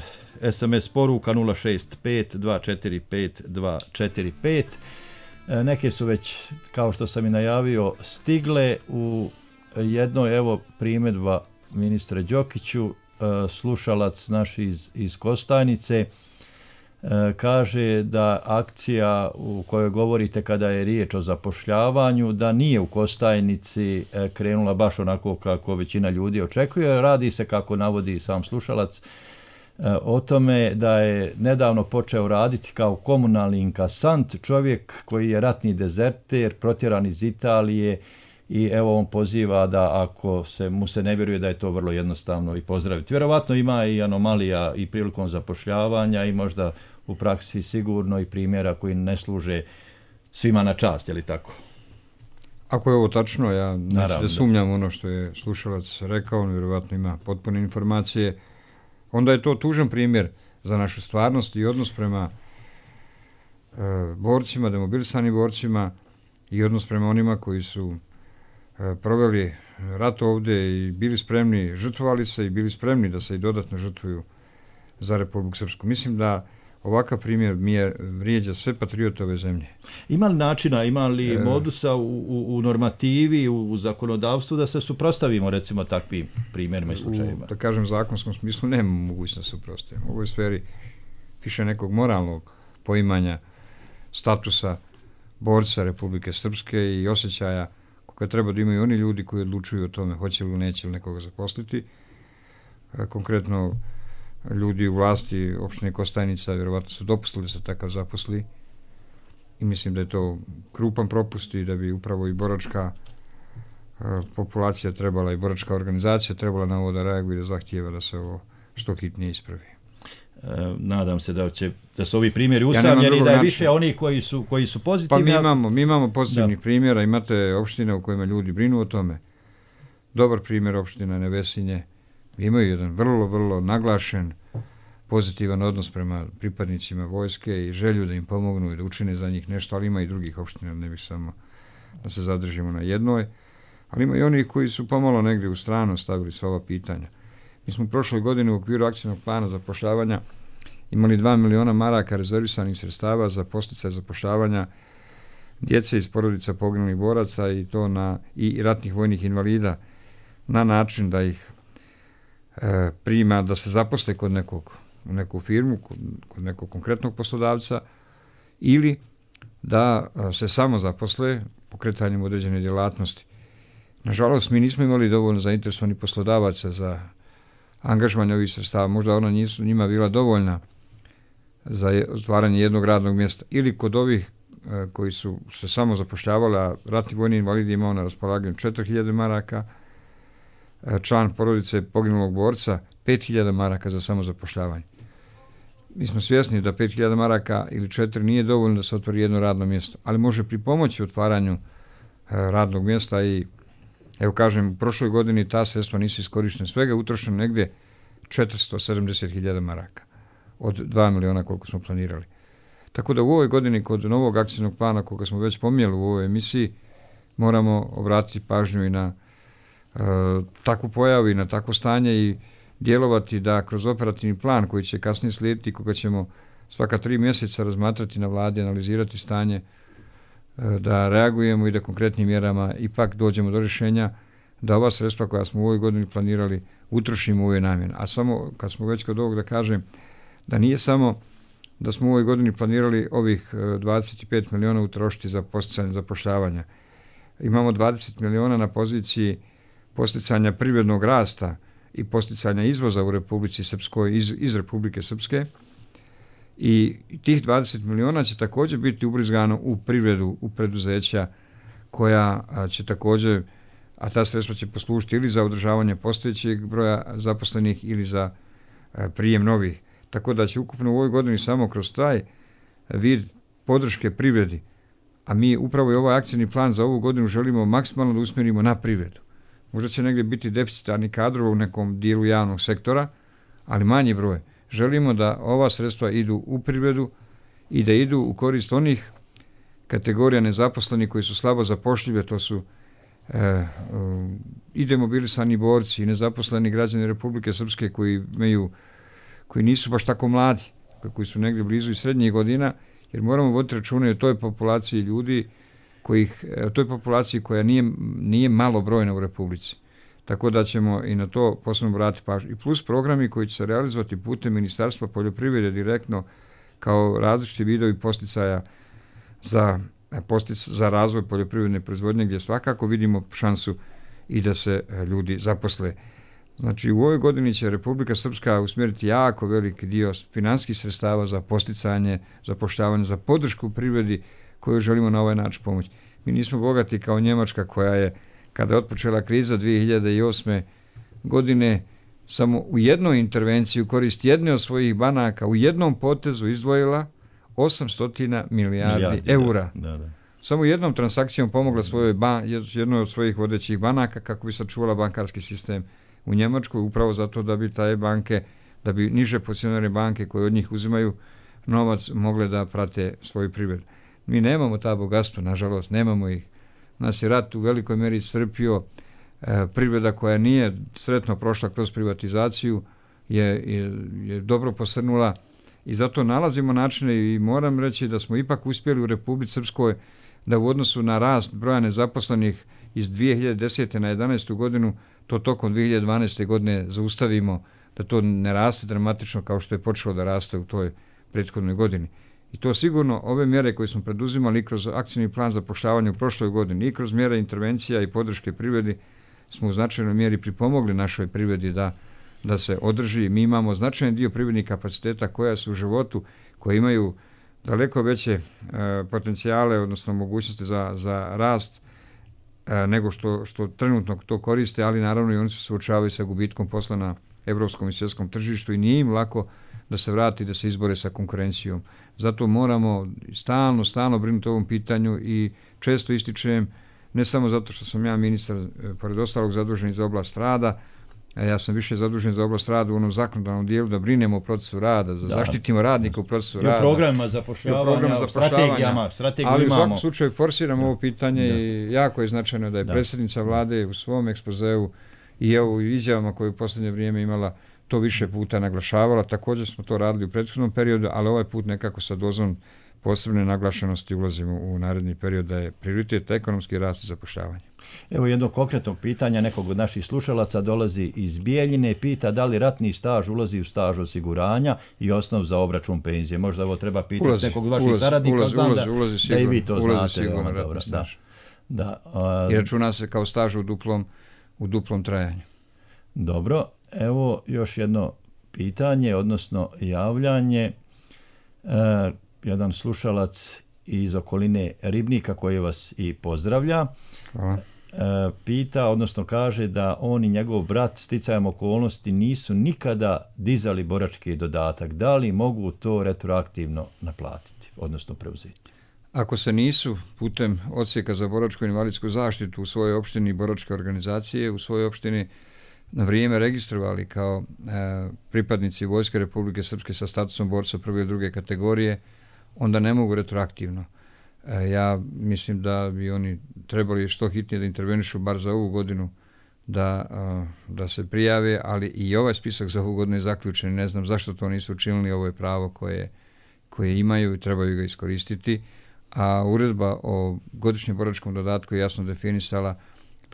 SMS poruka 065 245 245. Neke su već, kao što sam i najavio, stigle. U jednoj, evo, primjedba ministre Đokiću, slušalac naš iz Kostajnice, kaže da akcija u kojoj govorite kada je riječ o zapošljavanju, da nije u Kostajnici krenula baš onako kako većina ljudi očekuje. Radi se, kako navodi sam slušalac, o tome da je nedavno počeo raditi kao komunalni inkasant, čovjek koji je ratni dezerter, protjeran iz Italije, i evo on poziva da ako mu se ne vjeruje da je to vrlo jednostavno i pozdraviti. Vjerovatno ima i anomalija i prilikom zapošljavanja i možda u praksi sigurno i primjera koji ne služe svima na čast, je li tako? Ako je ovo tačno, ja neću da sumnjam ono što je slušalac rekao, on vjerovatno ima potpune informacije, onda je to tužan primjer za našu stvarnost i odnos prema borcima, demobilisanim borcima i odnos prema onima koji su proveli rat ovdje i bili spremni, žrtvovali se i bili spremni da se i dodatno žrtvuju za Republiku Srpsku. Mislim da ovakav primjer vrijeđa sve patriote ove zemlje. Ima li načina, ima li modusa u normativi, u zakonodavstvu da se suprotstavimo recimo takvim primjerima i slučajima? Da kažem, zakonskom smislu nemamo mogućnost da suprotstavimo. U ovoj sferi više nekog moralnog poimanja statusa borca Republike Srpske i osjećaja koje treba da imaju oni ljudi koji odlučuju o tome hoće li neće li nekoga zaposliti. Konkretno, ljudi u vlasti opštine Kostajnica vjerovatno su dopustili da se takav zaposli i mislim da je to krupan propust i da bi upravo i boračka populacija trebala i boračka organizacija trebala na ovo da reaguje i da zahtijeva da se ovo što hitnije ispravi. Nadam se da su ovi primjeri usamljeni i da je više oni koji su pozitivni. Pa mi imamo pozitivnih primjera, imate opštine u kojima ljudi brinu o tome. Dobar primjer opština Nevesinje, imaju jedan vrlo, vrlo naglašen pozitivan odnos prema pripadnicima vojske i želju da im pomognu i da učine za njih nešto, ali ima i drugih opština, ne bih samo da se zadržimo na jednoj, ali ima i oni koji su pomalo negdje u stranu stavili sva ova pitanja. Mi smo prošle godine u okviru akcijnog plana zapošljavanja imali 2 miliona maraka rezervisanih sredstava za podsticaj zapošljavanja djece iz porodica poginulih boraca i to i ratnih vojnih invalida na način da ih prima, da se zaposle kod u neku firmu, kod nekog konkretnog poslodavca ili da se samo zaposle pokretanjem određene djelatnosti. Nažalost, mi nismo imali dovoljno zainteresovanih poslodavaca za angažovanje ovih sredstava. Možda ona nisu njima bila dovoljna za stvaranje jednog radnog mjesta. Ili kod ovih koji su se samo zapošljavali, a ratni vojni invalidi imao na raspolaganju 4.000 maraka, član porodice poginulog borca 5.000 maraka za samozapošljavanje. Mi smo svjesni da 5.000 maraka ili 4 nije dovoljno da se otvori jedno radno mjesto, ali može pripomoći otvaranju radnog mjesta i evo kažem, u prošloj godini ta sredstva nisu iskorištene, svega utrošeno negdje 470.000 maraka od 2 miliona koliko smo planirali. Tako da u ovoj godini kod novog akcijnog plana koga smo već pomijeli u ovoj emisiji moramo obratiti pažnju i na takvu pojavu i na takvo stanje i djelovati da kroz operativni plan koji će kasnije slijediti, koga ćemo svaka 3 mjeseca razmatrati na vladi, analizirati stanje, da reagujemo i da konkretnim mjerama ipak dođemo do rješenja da ova sredstva koja smo u ovoj godini planirali utrošimo u ovoj namjeni. A samo kad smo već kod ovog da kažem da nije samo da smo u ovoj godini planirali ovih 25 miliona utrošiti za posticanje zapošljavanja. Imamo 20 miliona na poziciji posticanja privrednog rasta i posticanja izvoza u Republici Srpskoj iz Republike Srpske i tih 20 miliona će također biti ubrizgano u privredu, u preduzeća koja će također, a ta sredstva će poslužiti ili za održavanje postojećeg broja zaposlenih ili za prijem novih. Tako da će ukupno u ovoj godini samo kroz taj vid podrške privredi, a mi upravo i ovaj akcijni plan za ovu godinu želimo maksimalno da usmjerimo na privredu. Možda će negdje biti deficitarni kadrova u nekom dijelu javnog sektora, ali manji broj. Želimo da ova sredstva idu u privredu i da idu u korist onih kategorija nezaposlenih koji su slabo zapošljive, to su i demobilisani borci i nezaposleni građani Republike Srpske koji nisu baš tako mladi, koji su negdje blizu i srednjih godina, jer moramo voditi račune o toj populaciji ljudi, o toj populaciji koja nije malo brojna u Republici. Tako da ćemo i na to posebno obratiti pažnju. I plus programi koji će se realizovati putem Ministarstva poljoprivrede direktno kao različiti vidovi posticaja za razvoj poljoprivredne proizvodnje, gdje svakako vidimo šansu i da se ljudi zaposle. Znači, u ovoj godini će Republika Srpska usmjeriti jako veliki dio financijskih sredstava za posticanje, zapošljavanje, za podršku privredi koju želimo na ovaj način pomoći. Mi nismo bogati kao Njemačka koja je, kada je otpočela kriza 2008. godine, samo u jednoj intervenciji u korist jedne od svojih banaka u jednom potezu izdvojila 800 milijardi eura. Da. Samo jednom transakcijom pomogla jednoj od svojih vodećih banaka kako bi sačuvala bankarski sistem u Njemačkoj, upravo zato da bi taj banke, da bi niže pozicionirane banke koje od njih uzimaju novac mogle da prate svoju privredu. Mi nemamo ta bogatstva, nažalost, nemamo ih. Nas je rat u velikoj meri iscrpio, privreda koja nije sretno prošla kroz privatizaciju je dobro posrnula i zato nalazimo načine i moram reći da smo ipak uspjeli u Republici Srpskoj da u odnosu na rast broja nezaposlenih iz 2010. na 11. godinu to tokom 2012. godine zaustavimo, da to ne raste dramatično kao što je počelo da raste u toj prethodnoj godini. I to sigurno ove mjere koje smo preduzimali kroz akcijni plan zapošljavanja u prošloj godini i kroz mjere intervencija i podrške privredi smo u značajnoj mjeri pripomogli našoj privredi da se održi. Mi imamo značajan dio privrednih kapaciteta koja su u životu, koje imaju daleko veće potencijale, odnosno mogućnosti za rast nego što trenutno to koriste, ali naravno i oni se suočavaju sa gubitkom posla na evropskom i svjetskom tržištu i nije im lako da se vrati, da se izbore sa konkurencijom. Zato moramo stalno brinuti o ovom pitanju i često ističem, ne samo zato što sam ja ministar, pored ostalog, zadužen za oblast rada, ja sam više zadužen za oblast rada u onom zakonodavnom dijelu da brinemo o procesu rada, da zaštitimo radnika u procesu rada. I o programima zapošljavanja, o strategijama ali imamo. U svakom slučaju forsiramo ovo pitanje i jako je značajno da je predsjednica vlade u svom ekspozeu i evo u izjavama koje u posljednje vrijeme imala to više puta naglašavala. Također smo to radili u prethodnom periodu, ali ovaj put nekako sa dozom posebne naglašenosti ulazimo u naredni period da je prioritet ekonomski rast i zapošljavanje. Evo jedno konkretno pitanje nekog od naših slušalaca dolazi iz Bijeljine, pita da li ratni staž ulazi u staž osiguranja i osnov za obračun penzije. Možda ovo treba pitati nekog od vaših saradnika, da i vi to znate. Sigurno ratni staž. I računa se kao staž u duplom trajanju. Dobro, evo još jedno pitanje, odnosno javljanje. Jedan slušalac iz okoline Ribnika koji vas i pozdravlja. Hvala. Pita, odnosno kaže da on i njegov brat sticajem okolnosti nisu nikada dizali borački dodatak. Da li mogu to retroaktivno naplatiti, odnosno preuzeti? Ako se nisu putem odsjeka za boračku i invalidsku zaštitu u svojoj opštini boračke organizacije, u svojoj opštini na vrijeme registrovali kao pripadnici Vojske Republike Srpske sa statusom borca prve i druge kategorije, onda ne mogu retroaktivno. Ja mislim da bi oni trebali što hitnije da intervenišu bar za ovu godinu da se prijave, ali i ovaj spisak za ovu godinu je zaključen. Ne znam zašto to nisu učinili, ovo je pravo koje imaju i trebaju ga iskoristiti. A uredba o godišnjem boračkom dodatku je jasno definisala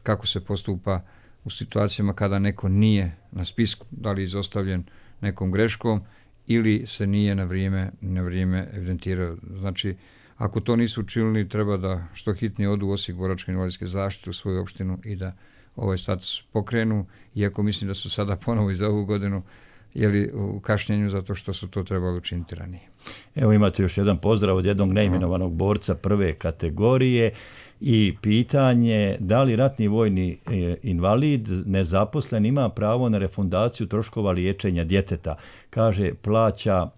kako se postupa u situacijama kada neko nije na spisku, da li izostavljen nekom greškom ili se nije na vrijeme evidentirao. Znači, ako to nisu učinili, treba da što hitnije odu u Osijek boračke invalidske zaštite u svoju opštinu i da ovaj status pokrenu, iako mislim da su sada ponovo i za ovu godinu u kašnjenju zato što su to trebali učiniti ranije. Evo imate još jedan pozdrav od jednog neimenovanog borca prve kategorije i pitanje da li ratni vojni invalid nezaposlen ima pravo na refundaciju troškova liječenja djeteta. Kaže, plaća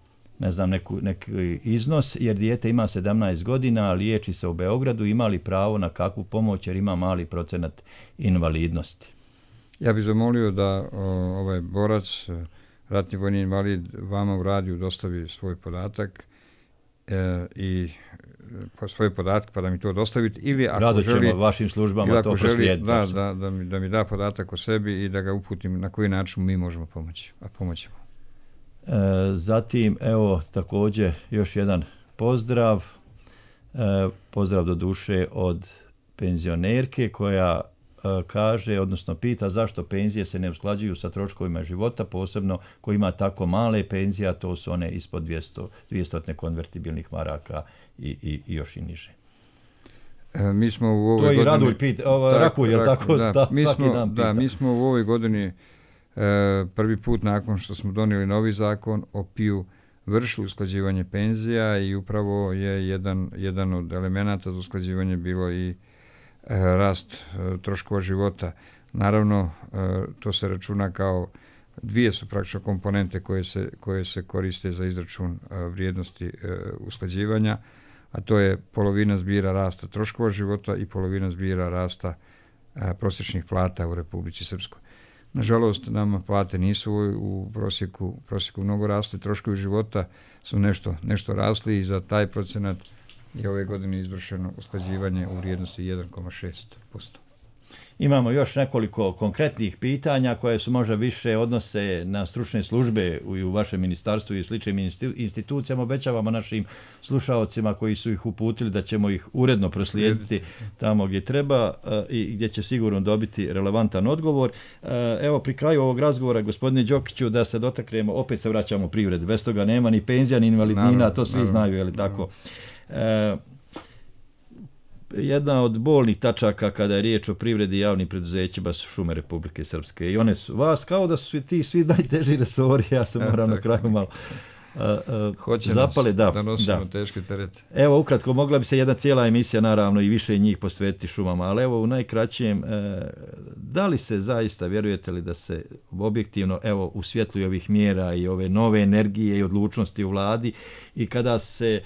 neki iznos jer dijete ima 17 godina, liječi se u Beogradu, ima li pravo na kakvu pomoć jer ima mali procenat invalidnosti? Ja bih zamolio da ovaj borac, ratni vojni invalid, vama u radiju dostavi svoj podatak i svoje podatke pa da mi to dostavite, ili ako Rado želi, ćemo vašim službama to proslijediti. Da mi da podatak o sebi i da ga uputim na koji način mi možemo pomoći, a pomoćemo. Zatim, evo, također još jedan pozdrav. Pozdrav do duše od penzionerke koja kaže, odnosno pita zašto penzije se ne usklađuju sa troškovima života, posebno ko ima tako male penzije, a to su one ispod 200 konvertibilnih maraka i još i niže. Mi smo u ovoj to godini... To i Radulj pita, Rakulj, je li tako? Svaki dan pita. Da, mi smo u ovoj godini prvi put nakon što smo donijeli novi zakon o PIO vršili usklađivanje penzija i upravo je jedan od elemenata za usklađivanje bilo i rast troškova života. Naravno, to se računa kao dvije su praktično komponente koje se koriste za izračun vrijednosti usklađivanja, a to je polovina zbira rasta troškova života i polovina zbira rasta prosječnih plata u Republici Srpskoj. Nažalost, nama plate nisu u prosjeku mnogo rasli, troškovi života su nešto rasli i za taj procenat je ove godine izvršeno usklađivanje u vrijednosti 1,6%. Imamo još nekoliko konkretnih pitanja koje su možda više odnose na stručne službe u vašem ministarstvu i sličnim institucijama. Obećavamo našim slušaocima koji su ih uputili da ćemo ih uredno proslijediti tamo gdje treba i gdje će sigurno dobiti relevantan odgovor. Evo, pri kraju ovog razgovora, gospodine Đokiću, da se dotaknemo, opet se vraćamo privredi. Bez toga nema ni penzija, ni invalidnina, to svi znaju, je li tako? Jedna od bolnih tačaka kada je riječ o privredi i javnim preduzećima su šume Republike Srpske i one su vas kao da su svi najteži resori, ja sam moram na kraju malo zapale. Da nosimo teške terete. Evo, ukratko, mogla bi se jedna cijela emisija, naravno, i više njih posvetiti šumama, ali evo u najkraćem, da li se zaista, vjerujete li da se objektivno, evo, u svjetlu ovih mjera i ove nove energije i odlučnosti u vladi i kada se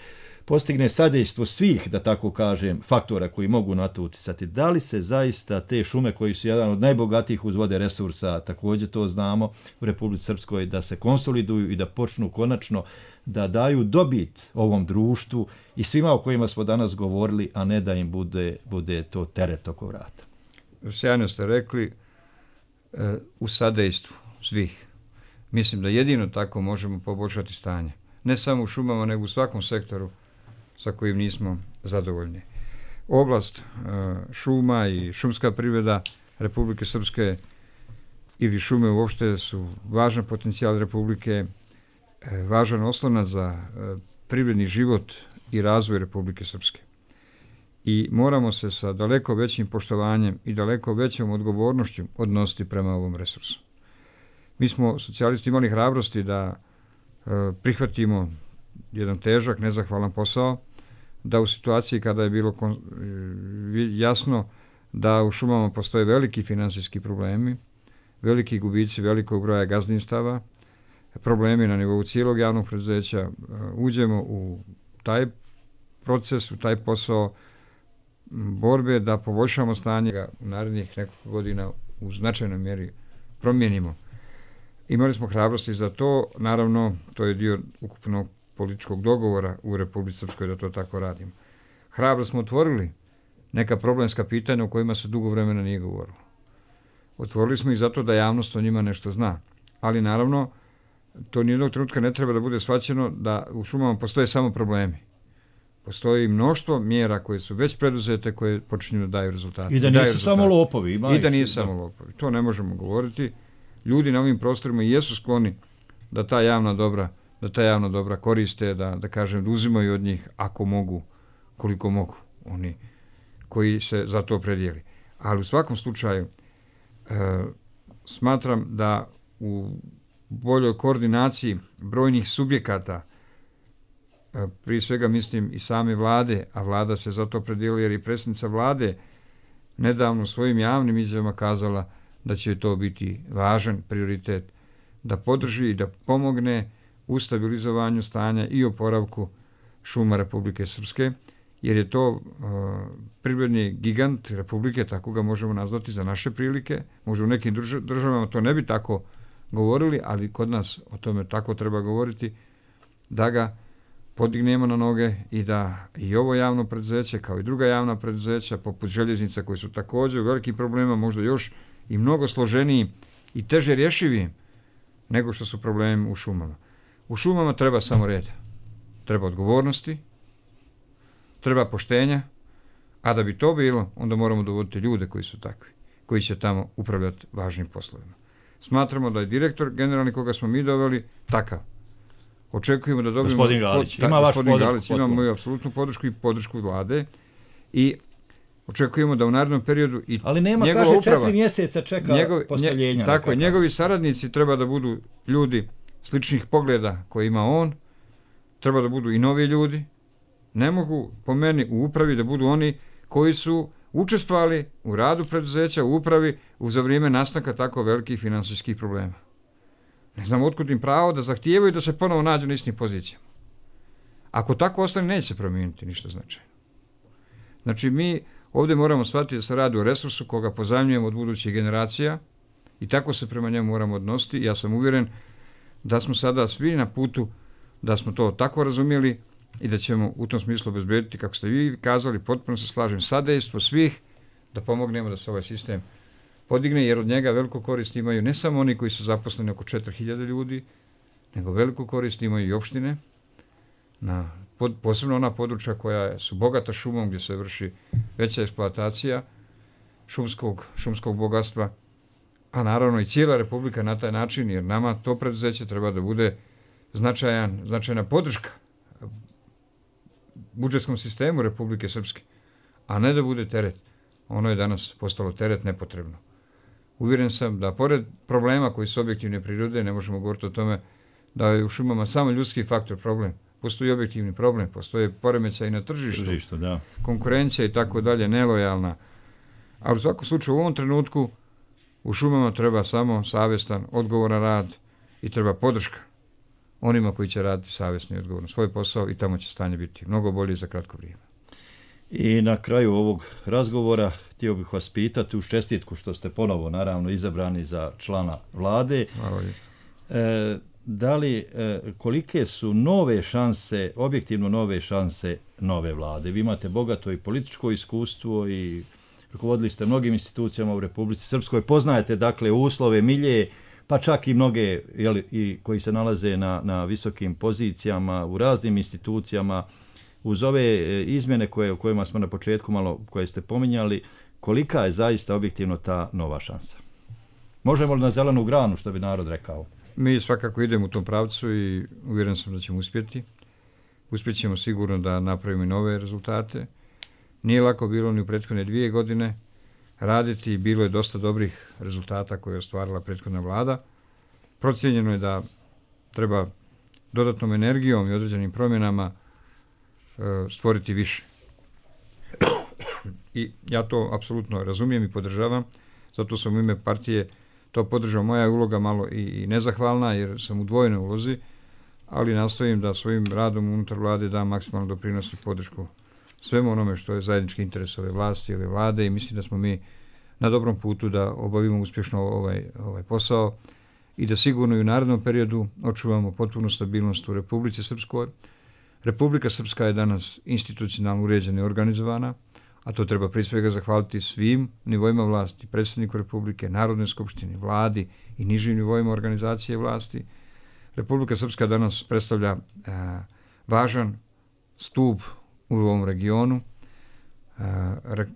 postigne sadejstvo svih, da tako kažem, faktora koji mogu na to uticati. Da li se zaista te šume koji su jedan od najbogatijih uz vode resursa, također to znamo u Republici Srpskoj, da se konsoliduju i da počnu konačno da daju dobit ovom društvu i svima o kojima smo danas govorili, a ne da im bude to teret oko vrata. Sjajno ste rekli, u sadejstvu svih. Mislim da jedino tako možemo poboljšati stanje. Ne samo u šumama, nego u svakom sektoru sa kojim nismo zadovoljni. Oblast šuma i šumska privreda Republike Srpske ili šume uopšte su važan potencijal Republike, važan oslonac za privredni život i razvoj Republike Srpske. I moramo se sa daleko većim poštovanjem i daleko većom odgovornošću odnositi prema ovom resursu. Mi smo socijalisti imali hrabrosti da prihvatimo jedan težak, nezahvalan posao, da u situaciji kada je bilo jasno da u šumama postoje veliki finansijski problemi, veliki gubici velikog broja gazdinstava, problemi na nivou cijelog javnog preduzeća, uđemo u taj proces, u taj posao borbe da poboljšamo stanje u narednih nekoliko godina u značajnoj mjeri promijenimo. Imali smo hrabrosti za to, naravno to je dio ukupnog političkog dogovora u Republici Srpskoj da to tako radimo. Hrabro smo otvorili neka problemska pitanja o kojima se dugo vremena nije govorilo. Otvorili smo ih zato da javnost o njima nešto zna. Ali naravno, to nijednog trenutka ne treba da bude shvaćeno da u šumama postoje samo problemi. Postoji mnoštvo mjera koje su već preduzete, koje počinju da daju rezultate. I da nisu samo lopovi. I da nisu samo lopovi. To ne možemo govoriti. Ljudi na ovim prostorima jesu skloni da ta javna dobra koriste, da kažem, da uzimaju od njih ako mogu, koliko mogu, oni koji se za to predijeli. Ali u svakom slučaju smatram da u boljoj koordinaciji brojnih subjekata, prije svega mislim i same vlade, a vlada se za to predijeli jer i predsjednica vlade nedavno svojim javnim izjavama kazala da će to biti važan prioritet, da podrži i da pomogne u stabilizovanju stanja i oporavku šuma Republike Srpske, jer je to privredni gigant Republike, tako ga možemo nazvati za naše prilike. Možda u nekim državama to ne bi tako govorili, ali kod nas o tome tako treba govoriti, da ga podignemo na noge i da i ovo javno preduzeće, kao i druga javna preduzeća, poput željeznica, koji su također u velikim problema, možda još i mnogo složeniji i teže rješivi nego što su problemi u šumama. U šumama treba samo reda, treba odgovornosti, treba poštenja, a da bi to bilo, onda moramo dovoditi ljude koji su takvi, koji će tamo upravljati važnim poslovima. Smatramo da je direktor generalni koga smo mi doveli takav. Očekujemo da dobijemo... Gospodin Galić, ima vašu podršku? Ima moju apsolutnu podršku i podršku vlade i očekujemo da u narednom periodu i ali nema, njegova kaže, uprava, 4 mjeseca čeka postavljenja. Tako je, njegovi saradnici treba da budu ljudi sličnih pogleda koje ima on, treba da budu i novi ljudi. Ne mogu, po meni, u upravi da budu oni koji su učestvovali u radu preduzeća, u upravi, za vrijeme nastanka tako velikih finansijskih problema. Ne znam otkud im pravo da zahtijevaju da se ponovo nađu na istim pozicijama. Ako tako ostane, neće se promijeniti ništa značajno. Znači, mi ovdje moramo shvatiti da se radi o resursu koga pozajmljujemo od budućih generacija i tako se prema njemu moramo odnositi. Ja sam uvjeren da smo sada svi na putu, da smo to tako razumjeli i da ćemo u tom smislu obezbediti, kako ste vi kazali, potpuno se slažem, sadejstvo svih da pomognemo da se ovaj sistem podigne, jer od njega veliku korist imaju ne samo oni koji su zaposleni, oko 4000 ljudi, nego veliku korist imaju i opštine, posebno ona područja koja su bogata šumom, gdje se vrši veća eksploatacija šumskog bogatstva, a naravno i cijela Republika na taj način, jer nama to preduzeće treba da bude značajna podrška budžetskom sistemu Republike Srpske, a ne da bude teret. Ono je danas postalo teret nepotrebno. Uvjeren sam da pored problema koji su objektivne prirode, ne možemo govoriti o tome da je u šumama samo ljudski faktor problem. Postoji objektivni problem, postoje poremećaj i na tržištu, da. Konkurencija i tako dalje, nelojalna. Ali u svakom slučaju u ovom trenutku u šumama treba samo savjestan, odgovoran rad i treba podrška onima koji će raditi savjesno i odgovorno svoj posao i tamo će stanje biti mnogo bolje za kratko vrijeme. I na kraju ovog razgovora htio bih vas pitati uz čestitku što ste ponovo naravno izabrani za člana vlade. Da li, kolike su nove šanse, objektivno nove šanse nove vlade? Vi imate bogato i političko iskustvo i rukovodili ste mnogim institucijama u Republici Srpskoj, poznajete dakle uslove, milje, pa čak i mnoge i koji se nalaze na visokim pozicijama u raznim institucijama. Uz ove izmjene o kojima smo na početku malo koje ste pominjali, kolika je zaista objektivno ta nova šansa? Možemo li na zelenu granu, što bi narod rekao? Mi svakako idemo u tom pravcu i uvjeren sam da ćemo uspjeti. Uspjećemo sigurno da napravimo i nove rezultate. Nije lako bilo ni u prethodne 2 godine raditi, bilo je dosta dobrih rezultata koje je ostvarila prethodna vlada. Procijenjeno je da treba dodatnom energijom i određenim promjenama stvoriti više. I ja to apsolutno razumijem i podržavam, zato sam u ime partije to podržao. Moja je uloga malo i nezahvalna jer sam u dvojnoj ulozi, ali nastojim da svojim radom unutar vlade dam maksimalno doprinos i podršku svemu onome što je zajednički interes ove vlasti, ove vlade i mislim da smo mi na dobrom putu da obavimo uspješno ovaj posao i da sigurno i u narednom periodu očuvamo potpunu stabilnost u Republici Srpskoj. Republika Srpska je danas institucionalno uređena i organizovana, a to treba prije svega zahvaliti svim nivoima vlasti, predsjedniku Republike, Narodnoj skupštini, vladi i nižim nivoima organizacije vlasti. Republika Srpska danas predstavlja važan stup u ovom regionu.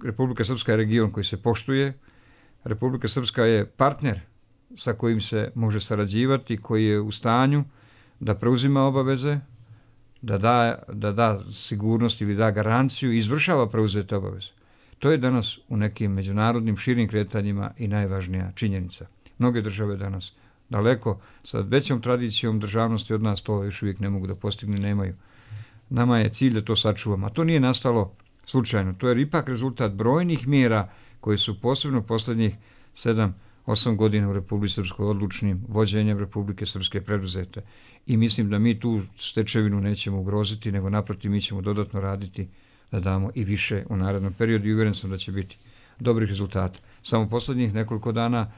Republika Srpska je region koji se poštuje. Republika Srpska je partner sa kojim se može sarađivati, koji je u stanju da preuzima obaveze, da da sigurnost ili da garanciju i izvršava preuzete obaveze. To je danas u nekim međunarodnim širim kretanjima i najvažnija činjenica. Mnoge države danas daleko sa većom tradicijom državnosti od nas to još uvijek ne mogu da postignu, nemaju. Nama je cilj da to sačuvamo, a to nije nastalo slučajno. To je ipak rezultat brojnih mjera koje su posebno posljednjih 7-8 godina u Republici Srpskoj odlučnim vođenjem Republike Srpske preduzete. I mislim da mi tu stečevinu nećemo ugroziti, nego naprotiv mi ćemo dodatno raditi da damo i više u narednom periodu i uvjeren sam da će biti dobrih rezultata. Samo posljednjih nekoliko dana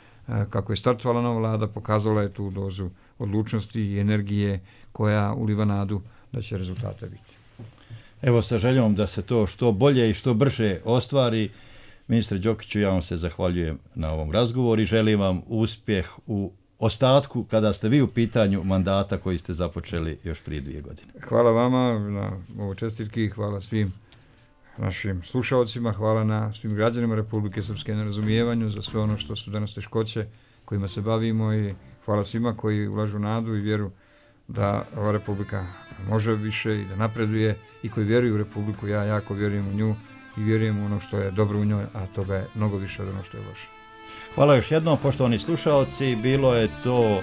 kako je startovala nova vlada pokazala je tu dozu odlučnosti i energije koja uliva nadu da će rezultata biti. Evo, sa željom da se to što bolje i što brže ostvari, ministre Đokiću, ja vam se zahvaljujem na ovom razgovoru i želim vam uspjeh u ostatku kada ste vi u pitanju mandata koji ste započeli još prije 2 godine. Hvala vama na ovoj čestitki, hvala svim našim slušalcima, hvala na svim građanima Republike Srpske na razumijevanju za sve ono što su danas teškoće kojima se bavimo i hvala svima koji ulažu nadu i vjeru da ova Republika može više i da napreduje i koji vjeruju u Republiku. Ja jako vjerujem u nju i vjerujem u ono što je dobro u njoj, a toga je mnogo više od ono što je loše. Hvala još jednom, poštovani slušalci. Bilo je to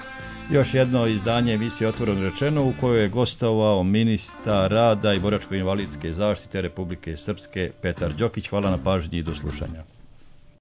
još jedno izdanje emisije Otvoreno rečeno u kojoj je gostovao ministar rada i boračko-invalidske zaštite Republike Srpske Petar Đokić. Hvala na pažnji i do slušanja.